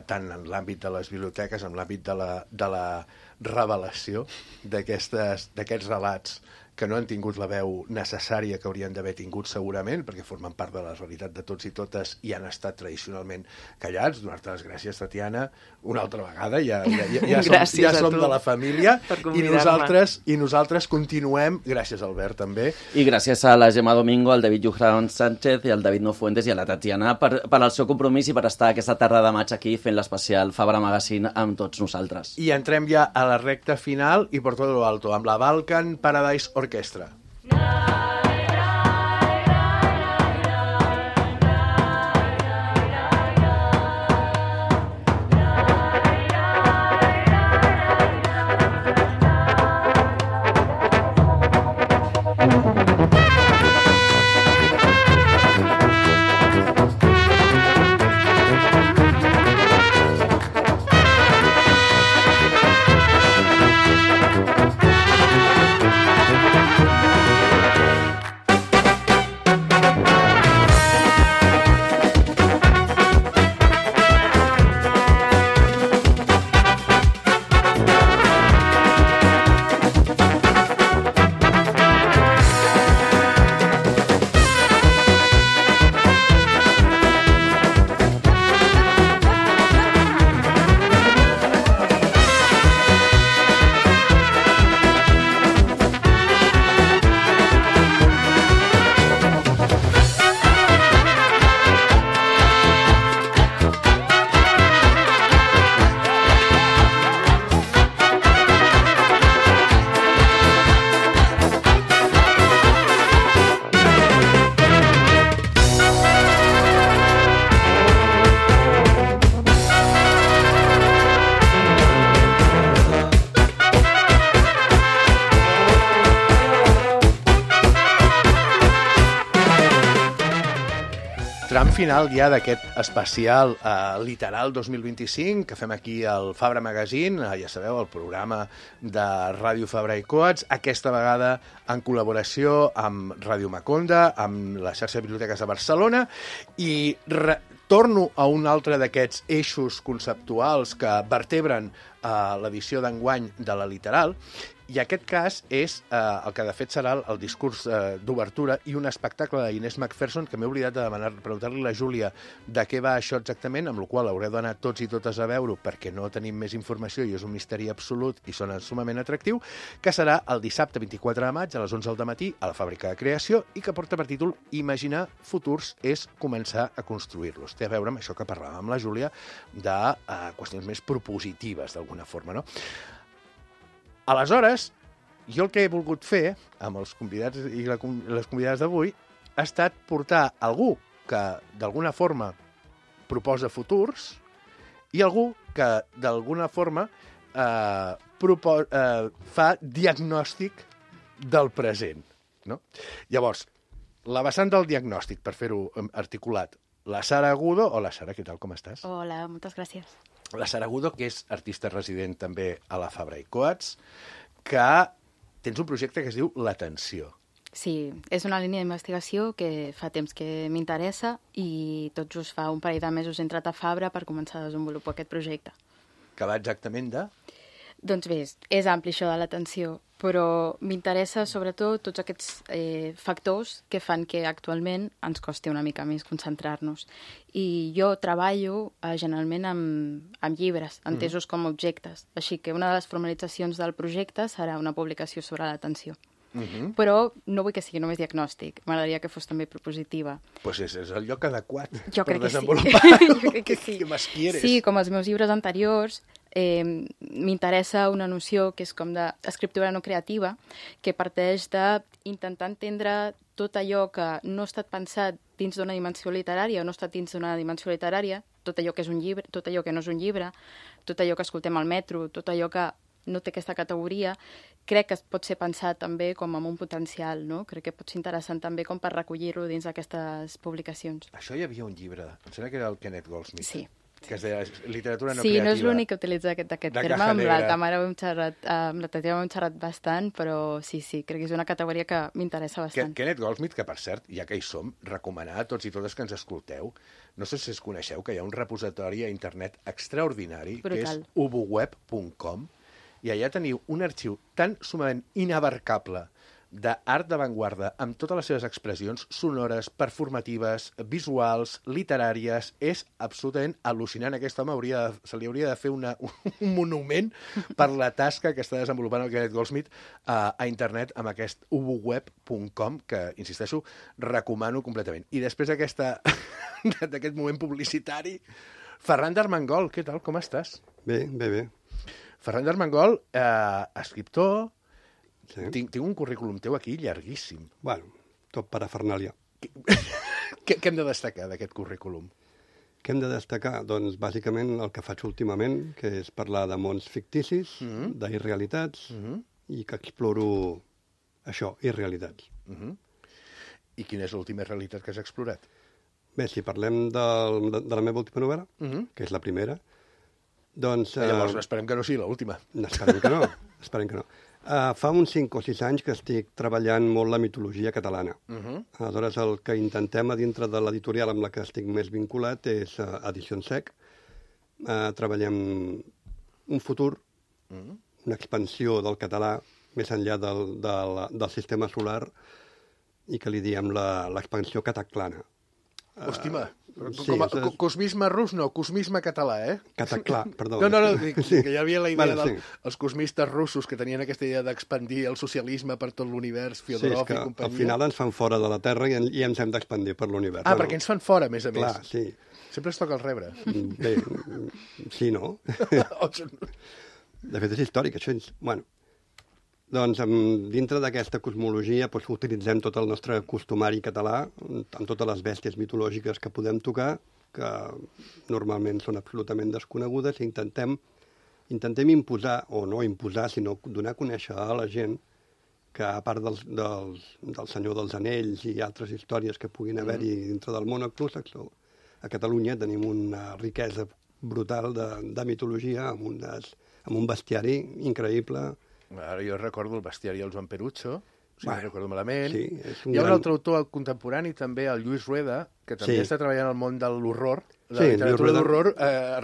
tant en l'àmbit de les biblioteques, en l'àmbit de la revelació d'aquests relats que no han tingut la veu necessària que haurien d'haver tingut segurament, perquè formen part de la realitat de tots i totes i han estat tradicionalment callats. Donar-te les gràcies, Tatiana, una altra vegada, ja som de la família, i nosaltres continuem, gràcies Albert també. I gràcies a la Gemma Domingo, al David Llujan Sánchez i al David Nofuentes i a la Tatiana per al seu compromís i per estar aquesta tarda de maig aquí fent l'especial Fabra Magazine amb tots nosaltres. I entrem ja a la recta final i por todo lo alto, amb la Balkan Paradise Orquestra. final ja d'aquest especial Literal 2025 que fem aquí al Fabra Magazine, ja sabeu, el programa de Ràdio Fabra i Coats, aquesta vegada en col·laboració amb Ràdio Maconda, amb la xarxa de biblioteques de Barcelona, i torno a un altre d'aquests eixos conceptuals que vertebren l'edició d'enguany de la Literal, i aquest cas és el que de fet serà el discurs d'obertura i un espectacle d'Inés McPherson que m'he oblidat de preguntar-li a la Júlia de què va això exactament, amb la qual haureu d'anar tots i totes a veure perquè no tenim més informació i és un misteri absolut i sona sumament atractiu, que serà el dissabte 24 de maig a les 11 del matí a la Fàbrica de Creació i que porta per títol Imaginar futurs és començar a construir-los. Té a veure amb això que parlàvem amb la Júlia de qüestions més propositives d'alguna forma, no? Aleshores, jo el que he volgut fer amb els convidats i les convidades d'avui ha estat portar algú que d'alguna forma proposa futurs i algú que d'alguna forma fa diagnòstic del present. No? Llavors, la vessant del diagnòstic, per fer-ho articulat, la Sara Agudo. Hola, Sara, què tal, com estàs? Hola, moltes gràcies. La Sara Agudo, que és artista resident també a la Fabra i Coats, que tens un projecte que es diu L'Atenció. Sí, és una línia d'investigació que fa temps que m'interessa i tot just fa un parell de mesos he entrat a Fabra per començar a desenvolupar aquest projecte. Que va exactament de? Doncs bé, és ampli això de l'atenció, però m'interessa sobretot tots aquests factors que fan que actualment ens costi una mica més concentrar-nos. I jo treballo generalment amb llibres, entesos com a objectes. Així que una de les formalitzacions del projecte serà una publicació sobre l'atenció. Però no vull que sigui només diagnòstic, m'agradaria que fos també propositiva. Doncs és el lloc adequat per desenvolupar. Jo crec que sí. Què més quieres? Sí, com els meus llibres anteriors, m'interessa una noció que és com d'escriptura no creativa, que parteix d'intentar entendre tot allò que no ha estat pensat dins d'una dimensió literària o no ha estat dins d'una dimensió literària, tot allò que és un llibre, tot allò que no és un llibre, tot allò que escoltem al metro, tot allò que no té aquesta categoria, crec que pot ser pensat també com amb un potencial, no? Crec que pot ser interessant també com per recollir-lo dins d'aquestes publicacions. Això hi havia un llibre, em sembla que era el Kenneth Goldsmith. Sí. Que es deia literatura no creativa. creativa. Sí, no és l'únic que utilitza aquest terme, amb la Tamara ho hem xerrat bastant, però sí, crec que és una categoria que m'interessa bastant. Kenneth Goldsmith, que per cert, ja que hi som, recomanar a tots i totes que ens escolteu, no sé si es coneixeu que hi ha un repositori a internet extraordinari, que és uboweb.com, i allà teniu un arxiu tan sumament inabarcable d'art d'avantguarda, amb totes les seves expressions sonores, performatives, visuals, literàries. És absolutament al·lucinant. Aquest home se li hauria de fer un monument per la tasca que està desenvolupant el Kenneth Goldsmith a internet amb aquest uboweb.com, que, insisteixo, recomano completament. I després d'aquest moment publicitari, Ferran d'Armengol, què tal, com estàs? Bé. Ferran d'Armengol, escriptor. Sí. Tinc un currículum teu aquí llarguíssim. Bueno, tot parafernàlia. Què hem de destacar d'aquest currículum? Què hem de destacar? Doncs, bàsicament, el que faig últimament, que és parlar de mons ficticis, d'irrealitats, i que exploro això, irrealitats. I quina és l'última realitat que has explorat? Bé, si parlem de la meva última novel·la, que és la primera, doncs... Llavors, esperem que no sigui l'última. Esperem que no. Fa uns 5 o 6 anys que estic treballant molt la mitologia catalana. Aleshores, el que intentem a dintre de l'editorial amb la que estic més vinculat és Edicions Sec. Treballem un futur, una expansió del català més enllà del sistema solar i que li diem l'expansió cataclana. Hòstima, cosmisme rus no, cosmisme català, eh? Cataclà, perdó. No, que hi havia la idea dels cosmistes russos que tenien aquesta idea d'expandir el socialisme per tot l'univers, Fyodorov i companyia. Al final ens fan fora de la Terra i ens hem d'expandir per l'univers. Perquè ens fan fora, a més a més. Clar, sí. Sempre es toca el rebre. Bé, sí, no? De fet, és històric, això. Bueno, doncs, dintre d'aquesta cosmologia utilitzem tot el nostre costumari català, amb totes les bèsties mitològiques que podem tocar, que normalment són absolutament desconegudes, i intentem imposar, o no imposar, sinó donar a conèixer a la gent que, a part del Senyor dels Anells i altres històries que puguin haver-hi dintre del món anglosaxó, a Catalunya tenim una riquesa brutal de mitologia, amb un bestiari increïble. Ara jo recordo el bestiari del Joan Perucho, si no recordo malament. Sí, Hi ha un altre autor contemporani, també, el Lluís Rueda, que també està treballant al món de l'horror, de la literatura d'horror,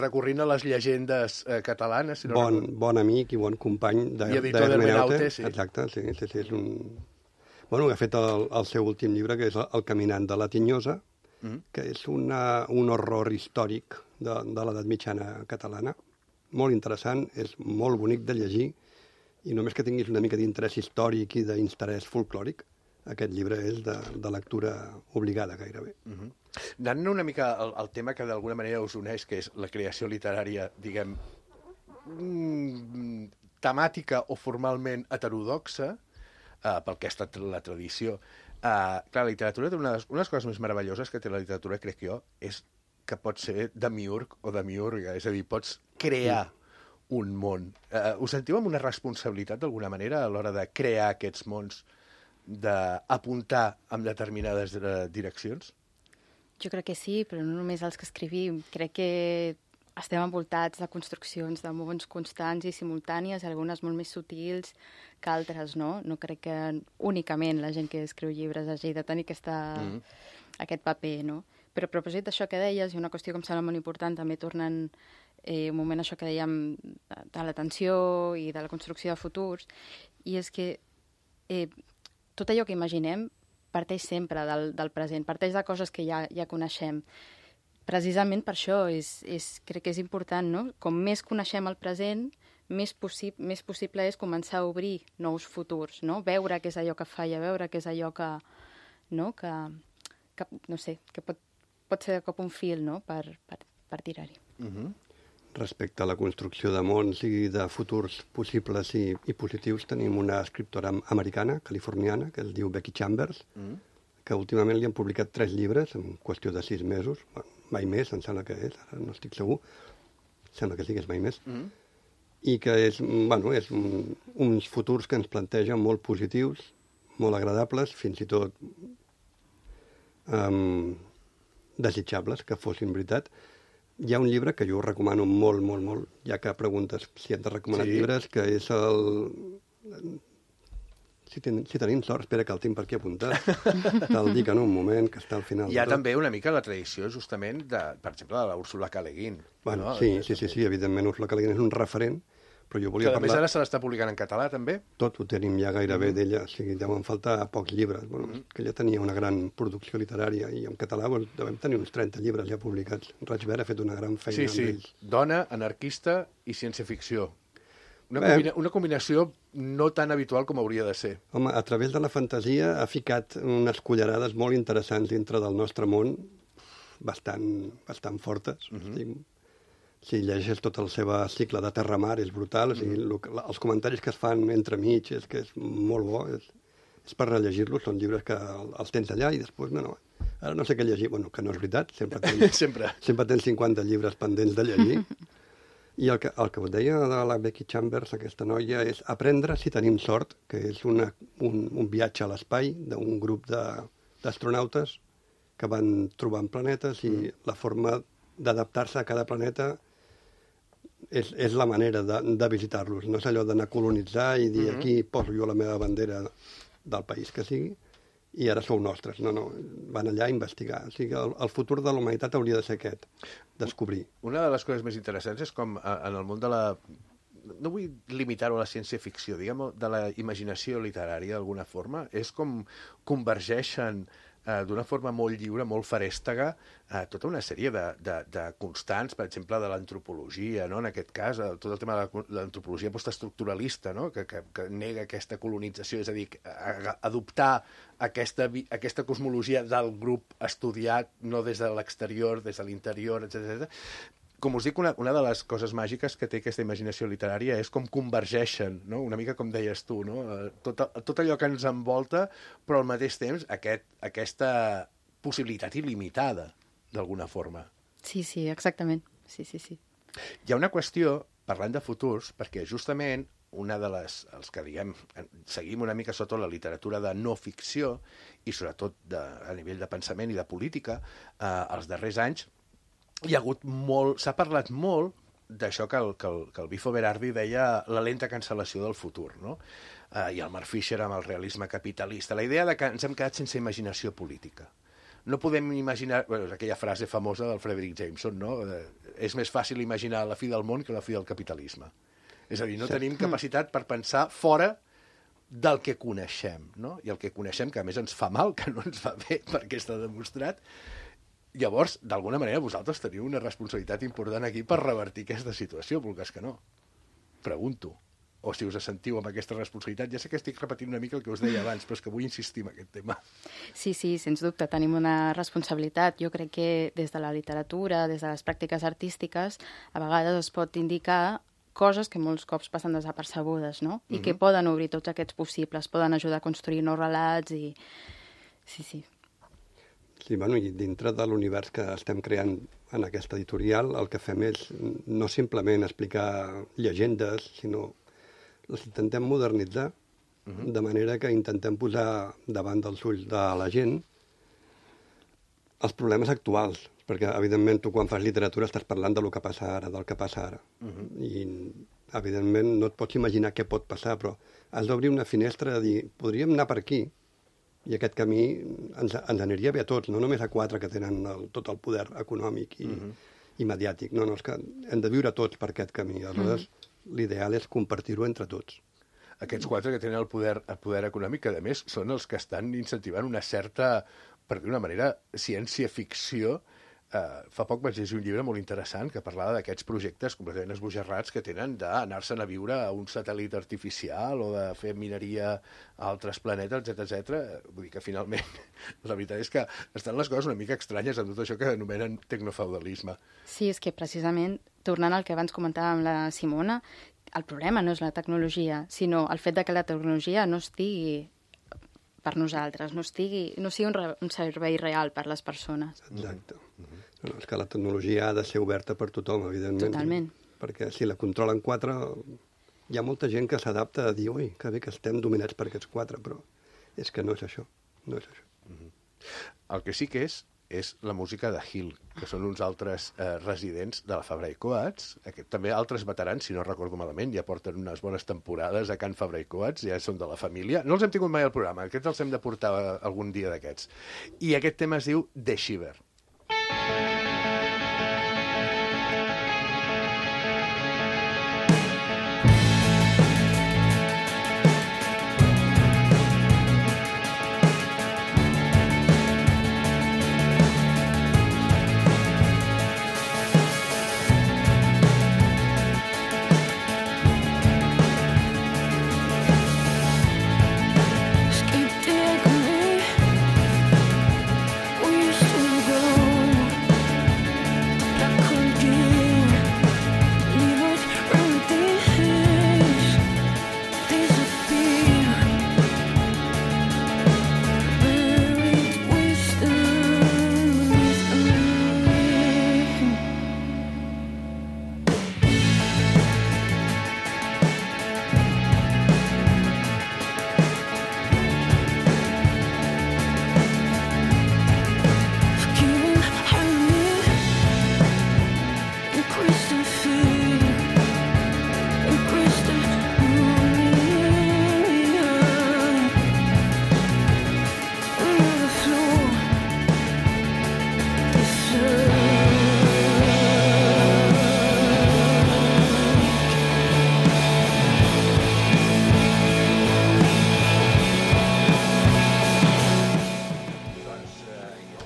recorrint a les llegendes catalanes. Bon amic i bon company d'Hermeneute. Exacte, sí. És un... Bueno, ha fet el seu últim llibre, que és El caminant de la Tinyosa, que és un horror històric de l'edat mitjana catalana. Molt interessant, és molt bonic de llegir, i només que tinguis una mica d'interès històric i d'interès folclòric, aquest llibre és de lectura obligada gairebé. Anant una mica al tema que d'alguna manera us uneix, que és la creació literària, diguem, temàtica o formalment heterodoxa, pel que ha estat la tradició. Clar, la literatura té una de les coses més meravelloses que té la literatura, crec jo, és que pot ser demiurg o demiurga, és a dir, pots crear un món. Us sentiu amb una responsabilitat d'alguna manera a l'hora de crear aquests mons, d'apuntar en determinades direccions? Jo crec que sí, però no només els que escrivim. Crec que estem envoltats de construccions de mons constants i simultànies, algunes molt més sutils que altres, no? No crec que únicament la gent que escriu llibres hagi de tenir aquest paper, no? Però a propòsit d'això que deies, i una qüestió que em sembla molt important, també tornant un moment això que dèiem de l'atenció i de la construcció de futurs, i és que tot allò que imaginem parteix sempre del present, parteix de coses que ja coneixem. Precisament per això crec que és important, no? Com més coneixem el present, més possible és començar a obrir nous futurs, no? Veure què és allò que falla, veure què és allò que no sé, que pot ser de cop un fil, no? per tirar-hi. Respecte a la construcció de mons i de futurs possibles i positius, tenim una escriptora americana, californiana, que es diu Becky Chambers, que últimament li han publicat 3 llibres en qüestió de 6 mesos, mai més, em sembla que és, ara no estic segur, sembla que sí que és mai més, i que és uns futurs que ens plantegen molt positius, molt agradables, fins i tot desitjables que fossin veritat. Hi ha un llibre que jo recomano molt, molt, molt, ja que preguntes si hem de recomanar llibres, que és Si tenim sort, espera que el tinc per aquí apuntat. Te'l dic en un moment, que està al final. Hi ha també una mica la tradició, justament, per exemple, de l'Úrsula K. Le Guin. Bueno, sí, evidentment, Úrsula K. Le Guin és un referent, però jo volia parlar... Que a més ara se l'està publicant en català, també? Tot ho tenim ja gairebé d'ella, o sigui, deuen faltar pocs llibres. Bueno, que ella tenia una gran producció literària i en català devem tenir uns 30 llibres ja publicats. Raig Verd ha fet una gran feina amb ells. Dona, anarquista i ciència-ficció. Una combinació no tan habitual com hauria de ser. Home, a través de la fantasia ha ficat unes cullerades molt interessants dintre del nostre món, bastant fortes. Si llegeixes tot el seu cicle de Terra-Mar, és brutal. Els comentaris que es fan entremig és que és molt bo. És per rellegir-los, són llibres que els tens allà i després, ara no sé què llegir. Bueno, que no és veritat, sempre tens 50 llibres pendents de llegir. I el que us deia de la Becky Chambers, aquesta noia, és Aprendre si tenim sort, que és un viatge a l'espai d'un grup d'astronautes que van trobant planetes i la forma d'adaptar-se a cada planeta és la manera de visitar-los. No és allò d'anar a colonitzar i dir aquí poso jo la meva bandera del país que sigui i ara sou nostres. No, van allà a investigar. O sigui, el futur de la humanitat hauria de ser aquest, descobrir. Una de les coses més interessants és com en el món de la... No vull limitar-ho a la ciència-ficció, diguem, de la imaginació literària, d'alguna forma. És com convergeixen d'una forma molt lliure, molt farèstega, tota una sèrie de constants, per exemple, de l'antropologia, no? En aquest cas, tot el tema de l'antropologia postestructuralista, no? que nega aquesta colonització, és a dir, adoptar aquesta cosmologia del grup estudiat, no des de l'exterior, des de l'interior, etc. Com us dic, una de les coses màgiques que té aquesta imaginació literària és com convergeixen, no? Una mica com deies tu, no? Tot allò que ens envolta, però al mateix temps aquesta possibilitat il·limitada, d'alguna forma. Sí, exactament. Sí. Hi ha una qüestió, parlant de futurs, perquè justament una de els que, diguem, seguim una mica sota la literatura de no ficció, i sobretot a nivell de pensament i de política, els darrers anys, hi ha hagut molt... S'ha parlat molt d'això que el Bifo Berardi deia la lenta cancel·lació del futur, no? I el Mark Fisher amb el realisme capitalista. La idea de que ens hem quedat sense imaginació política. No podem imaginar... Bueno, és aquella frase famosa del Frederick Jameson, no? És més fàcil imaginar la fi del món que la fi del capitalisme. És a dir, no tenim capacitat per pensar fora del que coneixem, no? I el que coneixem, que a més ens fa mal, que no ens va bé, perquè està demostrat. Llavors, d'alguna manera, vosaltres teniu una responsabilitat important aquí per revertir aquesta situació, vulgues que no. Pregunto. O si us sentiu amb aquesta responsabilitat. Ja sé que estic repetint una mica el que us deia abans, però és que vull insistir en aquest tema. Sí, sens dubte, tenim una responsabilitat. Jo crec que des de la literatura, des de les pràctiques artístiques, a vegades es pot indicar coses que molts cops passen desapercebudes, no? I que poden obrir tots aquests possibles, poden ajudar a construir nous relats i... Sí. Sí, bueno, i dintre de l'univers que estem creant en aquesta editorial, el que fem és no simplement explicar llegendes, sinó les intentem modernitzar, de manera que intentem posar davant dels ulls de la gent els problemes actuals, perquè, evidentment, tu quan fas literatura estàs parlant del que passa ara, del que passa ara. I, evidentment, no et pots imaginar què pot passar, però has d'obrir una finestra de dir, podríem anar per aquí, i aquest camí ens aniria bé a tots, no només a 4 que tenen tot el poder econòmic i mediàtic. No, és que hem de viure tots per aquest camí. Aleshores, l'ideal és compartir-ho entre tots. Aquests 4 que tenen el poder econòmic, que a més són els que estan incentivant una certa, per dir d'una manera, ciència-ficció. Fa poc vaig llegir un llibre molt interessant que parlava d'aquests projectes completament esbojarrats que tenen d'anar-se'n a viure a un satèl·lit artificial o de fer mineria a altres planetes, etc. Vull dir que finalment la veritat és que estan les coses una mica estranyes amb tot això que anomenen tecnofeudalisme. Sí, és que precisament, tornant al que abans comentàvem la Simona, el problema no és la tecnologia, sinó el fet de que la tecnologia no estigui per nosaltres, no sigui un servei real per les persones. Exacte. No, és que la tecnologia ha de ser oberta per tothom, evidentment. Totalment. Perquè si la controlen 4, hi ha molta gent que s'adapta a dir, ui, que bé que estem dominats per aquests 4, però és que no és això. No és això. El que sí que és la música de Hill, que són uns altres residents de la Fabra i Coats, també altres veterans, si no recordo malament, ja porten unes bones temporades a Can Fabra i Coats, ja són de la família. No els hem tingut mai al programa, aquests els hem de portar algun dia d'aquests. I aquest tema es diu The Shiver.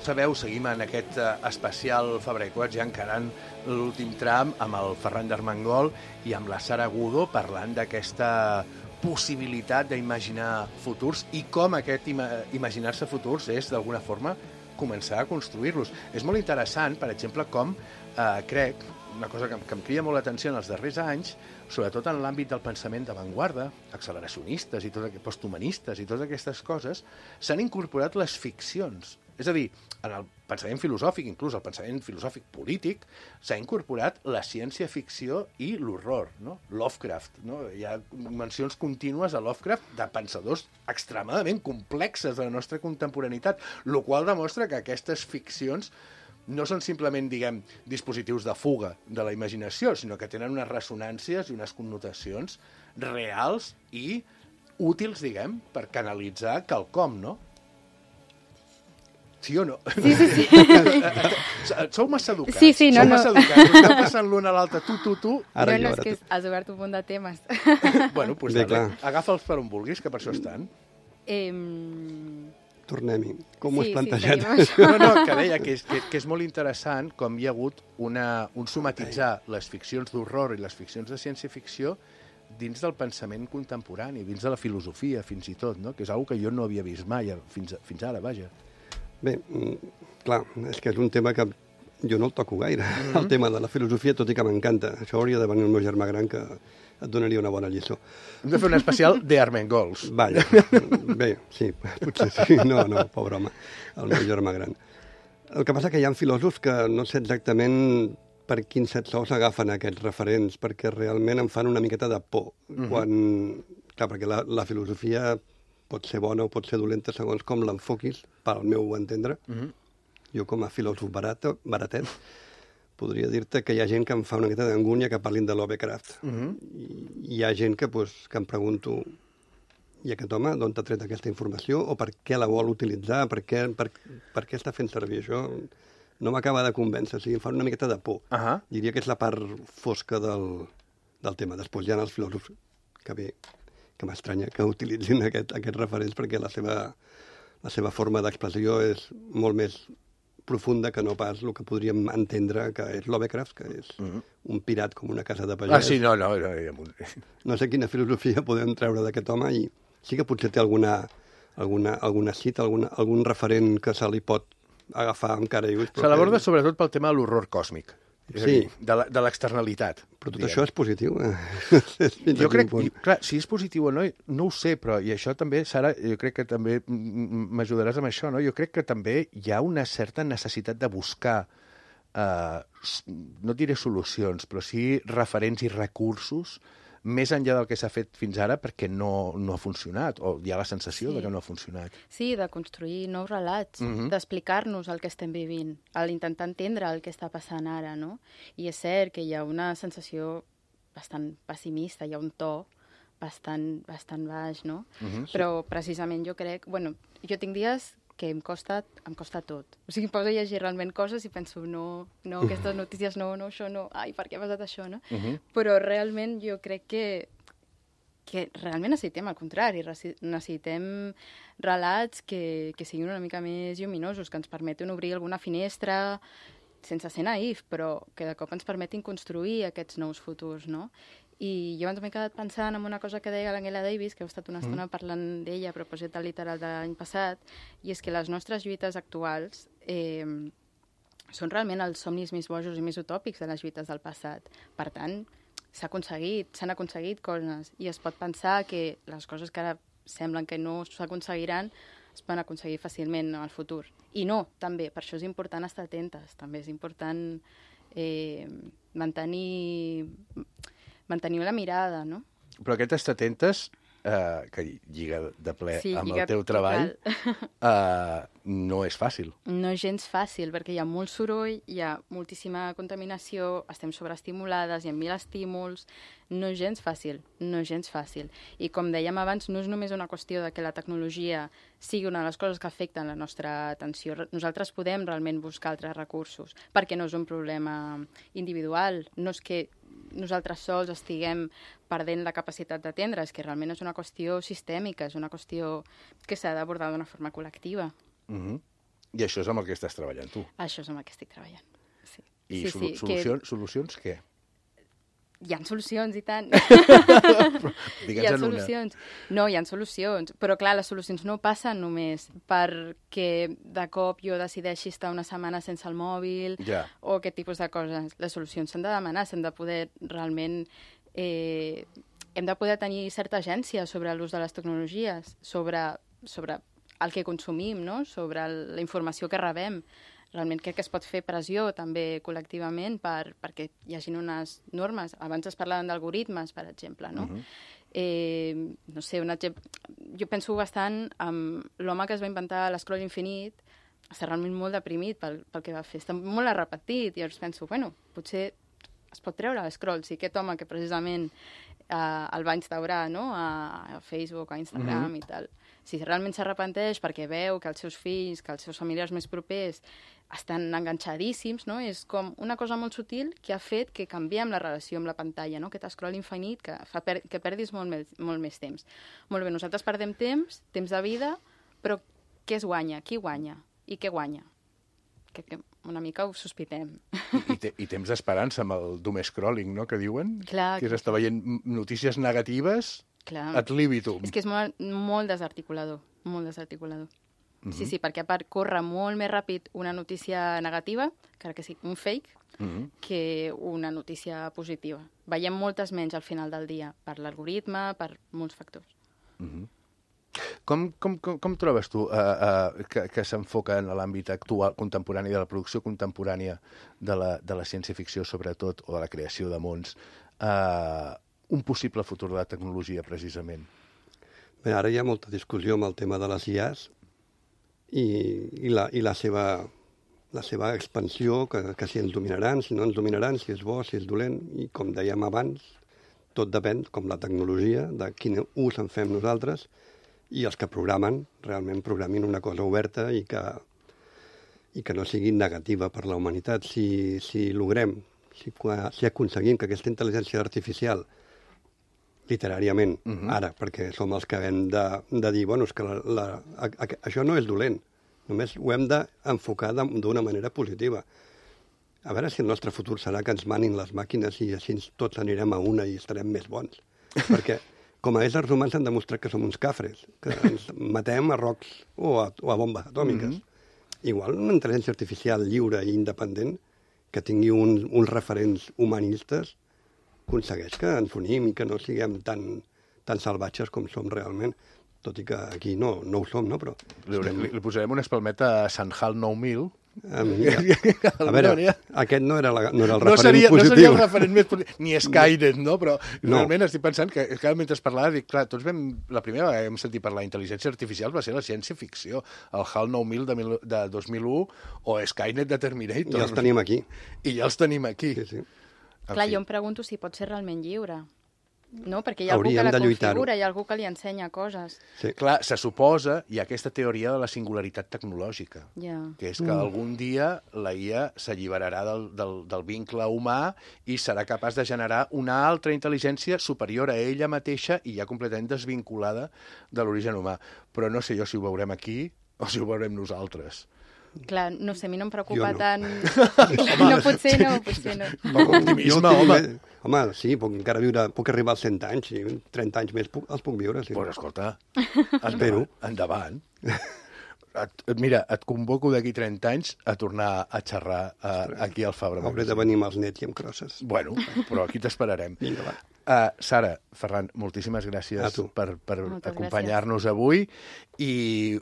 Sabeu, seguim en aquest especial Fabra i Coats, ja encarant l'últim tram amb el Ferran d'Armengol i amb la Sara Agudo parlant d'aquesta possibilitat d'imaginar futurs i com aquest imaginar-se futurs és, d'alguna forma, començar a construir-los. És molt interessant, per exemple, com crec, una cosa que em crida molt l'atenció en els darrers anys, sobretot en l'àmbit del pensament d'avantguarda, acceleracionistes i posthumanistes i totes aquestes coses, s'han incorporat les ficcions. És a dir, en el pensament filosòfic, inclús el pensament filosòfic polític, s'ha incorporat la ciència-ficció i l'horror, no? Lovecraft, no? Hi ha mencions contínues a Lovecraft de pensadors extremadament complexes de la nostra contemporaneitat, el qual demostra que aquestes ficcions no són simplement, diguem, dispositius de fuga de la imaginació, sinó que tenen unes ressonàncies i unes connotacions reals i útils, diguem, per canalitzar quelcom, no? Sí o no? Sí. Sou massa educats. Sí, no. Sou massa educats. Us esteu passant l'un a l'altre, tu. Ara no, és que has obert un munt de temes. Bueno, doncs agafa'ls per on vulguis, que per això estan. Tornem-hi. Com ho has plantejat? No, que deia que és molt interessant com hi ha hagut un somatitzar les ficcions d'horror i les ficcions de ciència-ficció dins del pensament contemporani, dins de la filosofia, fins i tot, no? Que és una que jo no havia vist mai, fins ara, vaja. Bé, clar, és que és un tema que jo no el toco gaire, el tema de la filosofia, tot i que m'encanta. Això hauria de venir el meu germà gran, que et donaria una bona lliçó. Hem de fer un especial de Armengols. Vaja, bé, sí, potser sí. No, pobre home, el meu germà gran. El que passa que hi ha filòsofs que no sé exactament per quins sous agafen aquests referents, perquè realment em fan una miqueta de por. Clar, perquè la filosofia pot ser bona o pot ser dolenta segons com l'enfoquis, pel meu entendre. Jo, com a filòsof baratet, podria dir-te que hi ha gent que em fa una miqueta d'angúnia que parlin de Lovecraft. I hi ha gent que em pregunto, i aquest home d'on t'ha tret aquesta informació, o per què la vol utilitzar, per què està fent servir això? No m'acaba de convèncer, o sigui, em fa una miqueta de por. Diria que és la part fosca del tema. Després hi ha els filòsofs que m'estranya que utilitzin aquests referents, perquè la seva forma d'expressió és molt més profunda que no pas el que podríem entendre que és Lovecraft, que és un pirat com una casa de pagès. Sí, no. No sé quina filosofia podem treure d'aquest home, i sí que potser té alguna cita, algun referent que se li pot agafar amb cara i ulls. Se l'aborda sobretot pel tema de l'horror còsmic. És a dir, de l'externalitat. Però tot això és positiu. Jo crec, clar, si és positiu o no, no ho sé, però, i això també, Sara, jo crec que també m'ajudaràs amb això, no? Jo crec que també hi ha una certa necessitat de buscar, no diré solucions, però sí referents i recursos més enllà del que s'ha fet fins ara, perquè no ha funcionat, o hi ha la sensació de que no ha funcionat. Sí, de construir nous relats, d'explicar-nos el que estem vivint, d'intentar entendre el que està passant ara, no? I és cert que hi ha una sensació bastant pessimista, hi ha un to bastant baix, no? Però precisament jo crec... Bueno, jo tinc dies que em costa tot. O sigui, em poso a llegir realment coses i penso, no, aquestes notícies no, això no, ai, per què ha passat això, no? Però realment jo crec que realment necessitem el contrari, necessitem relats que siguin una mica més lluminosos, que ens permetin obrir alguna finestra, sense ser naïf, però que de cop ens permetin construir aquests nous futurs, no? I jo ens m'he quedat pensant en una cosa que deia l'Angela Davis, que heu estat una estona parlant d'ella a propòsit del literal de l'any passat, i és que les nostres lluites actuals són realment els somnis més bojos i més utòpics de les lluites del passat. Per tant, s'han aconseguit coses, i es pot pensar que les coses que ara semblen que no s'aconseguiran es poden aconseguir fàcilment en el futur. I no, també, per això és important estar atentes, també és important mantenir la mirada, no? Però aquest estar atentes, que lliga de ple amb el teu treball, no és fàcil. No és gens fàcil, perquè hi ha molt soroll, hi ha moltíssima contaminació, estem sobreestimulades, hi ha 1000 estímuls, no és gens fàcil. I com dèiem abans, no és només una qüestió de que la tecnologia sigui una de les coses que afecten la nostra atenció. Nosaltres podem realment buscar altres recursos, perquè no és un problema individual, no és que nosaltres sols estiguem perdent la capacitat d'atendre, és que realment és una qüestió sistèmica, és una qüestió que s'ha d'abordar d'una forma col·lectiva. I això és amb el que estàs treballant, tu? Això és amb el que estic treballant, sí. I solucions què? Hi ha solucions, i tant. Hi ha solucions. No, hi ha solucions. Però, clar, les solucions no passen només perquè de cop jo decideixi estar una setmana sense el mòbil o aquest tipus de coses. Les solucions s'han de demanar, s'han de poder realment... hem de poder tenir certa agència sobre l'ús de les tecnologies, sobre el que consumim, no? Sobre la informació que rebem. Realment crec que es pot fer pressió també col·lectivament perquè hi hagi unes normes. Abans es parlaven d'algoritmes, per exemple, no? No sé, un exemple... Jo penso bastant en l'home que es va inventar l'escroll infinit està realment molt deprimit pel que va fer. Està molt arrepentit, i llavors penso, bueno, potser es pot treure l'escroll. Si aquest home que precisament el va instaurar, no?, a Facebook, a Instagram i tal, si realment s'arrepenteix perquè veu que els seus fills, que els seus familiars més propers estan enganxadíssims, no?, és com una cosa molt sutil que ha fet que canviem la relació amb la pantalla, no?, aquest scroll infinit que fa que perdis molt més temps. Molt bé, nosaltres perdem temps de vida, però què es guanya? Qui guanya? I què guanya? Que una mica ho sospitem. I temps d'esperança amb el doom scrolling, no?, que diuen? Clar. Que és estar veient notícies negatives ad libitum. És que és molt desarticulador, molt desarticulador. Sí, perquè a part corre molt més ràpid una notícia negativa, encara que sigui un fake, que una notícia positiva. Veiem moltes menys al final del dia, per l'algoritme, per molts factors. Com trobes tu que s'enfoca en l'àmbit actual, contemporani, de la producció contemporània de la ciència-ficció, sobretot, o de la creació de mons, un possible futur de la tecnologia, precisament? Bé, ara hi ha molta discussió amb el tema de les IAs i la seva expansió, que si ens dominaran, si no ens dominaran, si és bo, si és dolent, i com dèiem abans, tot depèn, com la tecnologia, de quin ús en fem nosaltres, i els que programen, realment programin una cosa oberta i que no sigui negativa per la humanitat. Si logrem, si aconseguim que aquesta intel·ligència artificial, literàriament, ara, perquè som els que hem de dir, bueno, és que això no és dolent, només ho hem d'enfocar d'una manera positiva. A veure si el nostre futur serà que ens manin les màquines i així tots anirem a una i estarem més bons. Perquè com a éssers humans han demostrat que som uns cafres, que ens matem a rocs o a bombes atòmiques. Igual una intel·ligència artificial lliure i independent que tingui uns referents humanistes aconsegueix que ens unim i que no siguem tan salvatges com som realment, tot i que aquí no ho som, no? Però li posarem una espalmeta a Sant Hal 9000. A veure, aquest no era el referent positiu. No seria el referent més positiu, ni Skynet, no? Però realment estic pensant que mentre parlava, dic, clar, tots la primera vegada que hem sentit parlar d'intel·ligència artificial va ser la ciència-ficció, el HAL 9000 de 2001 o Skynet de Terminator. I els tenim aquí. I ja els tenim aquí. Sí. Clar, jo em pregunto si pot ser realment lliure. No, perquè hi ha algú que la configura, hi ha algú que li ensenya coses. Sí. Clar, se suposa, hi ha aquesta teoria de la singularitat tecnològica, que és que algun dia la IA s'alliberarà del vincle humà i serà capaç de generar una altra intel·ligència superior a ella mateixa i ja completament desvinculada de l'origen humà. Però no sé jo si ho veurem aquí o si ho veurem nosaltres. Clar, no sé, a mi no em preocupa tant... No, potser no. Poc optimisme, home. Home, sí, puc arribar als 100 anys, i 30 anys més els puc viure. Sí. Pues escolta, endavant. Mira, et convoco d'aquí 30 anys a tornar a xerrar aquí al Fabra Magazine. Hauré de venir amb els nets i amb crosses. Bueno, però aquí t'esperarem. Vinga, va. Sara, Ferran, moltíssimes gràcies per acompanyar-nos avui i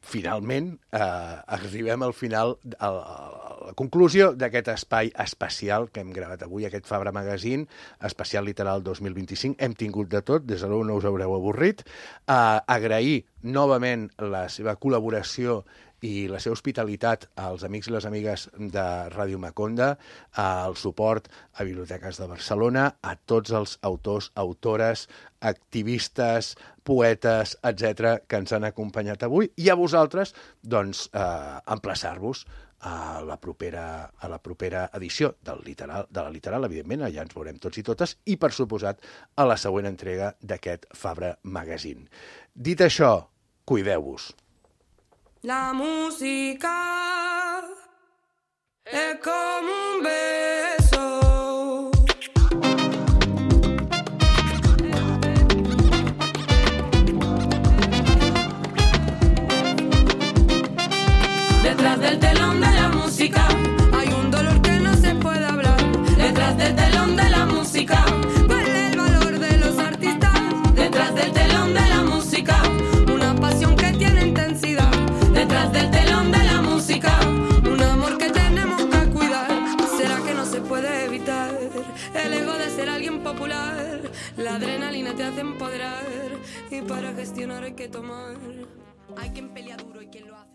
finalment arribem al final, a la conclusió d'aquest espai especial que hem gravat avui, aquest Fabra Magazine, especial literal 2025. Hem tingut de tot, des de l'un no us haureu avorrit. Agrair novament la seva col·laboració i la seva hospitalitat als amics i les amigues de Ràdio Maconda, el suport a Biblioteques de Barcelona, a tots els autors, autores, activistes, poetes, etc., que ens han acompanyat avui, i a vosaltres, doncs, emplaçar-vos a la propera edició de la Literal, evidentment, allà ens veurem tots i totes, i, per suposat, a la següent entrega d'aquest Fabra Magazine. Dit això, cuideu-vos. La música es como un beso. Detrás del telón de la música hay un dolor que no se puede hablar. Detrás del telón de la música vale el valor de los artistas. Detrás del telón de la música una pasión que tiene intensidad. Detrás del telón de la música, un amor que tenemos que cuidar. ¿Será que no se puede evitar el ego de ser alguien popular? La adrenalina te hace empoderar y para gestionar hay que tomar. Hay quien pelea duro y quien lo hace.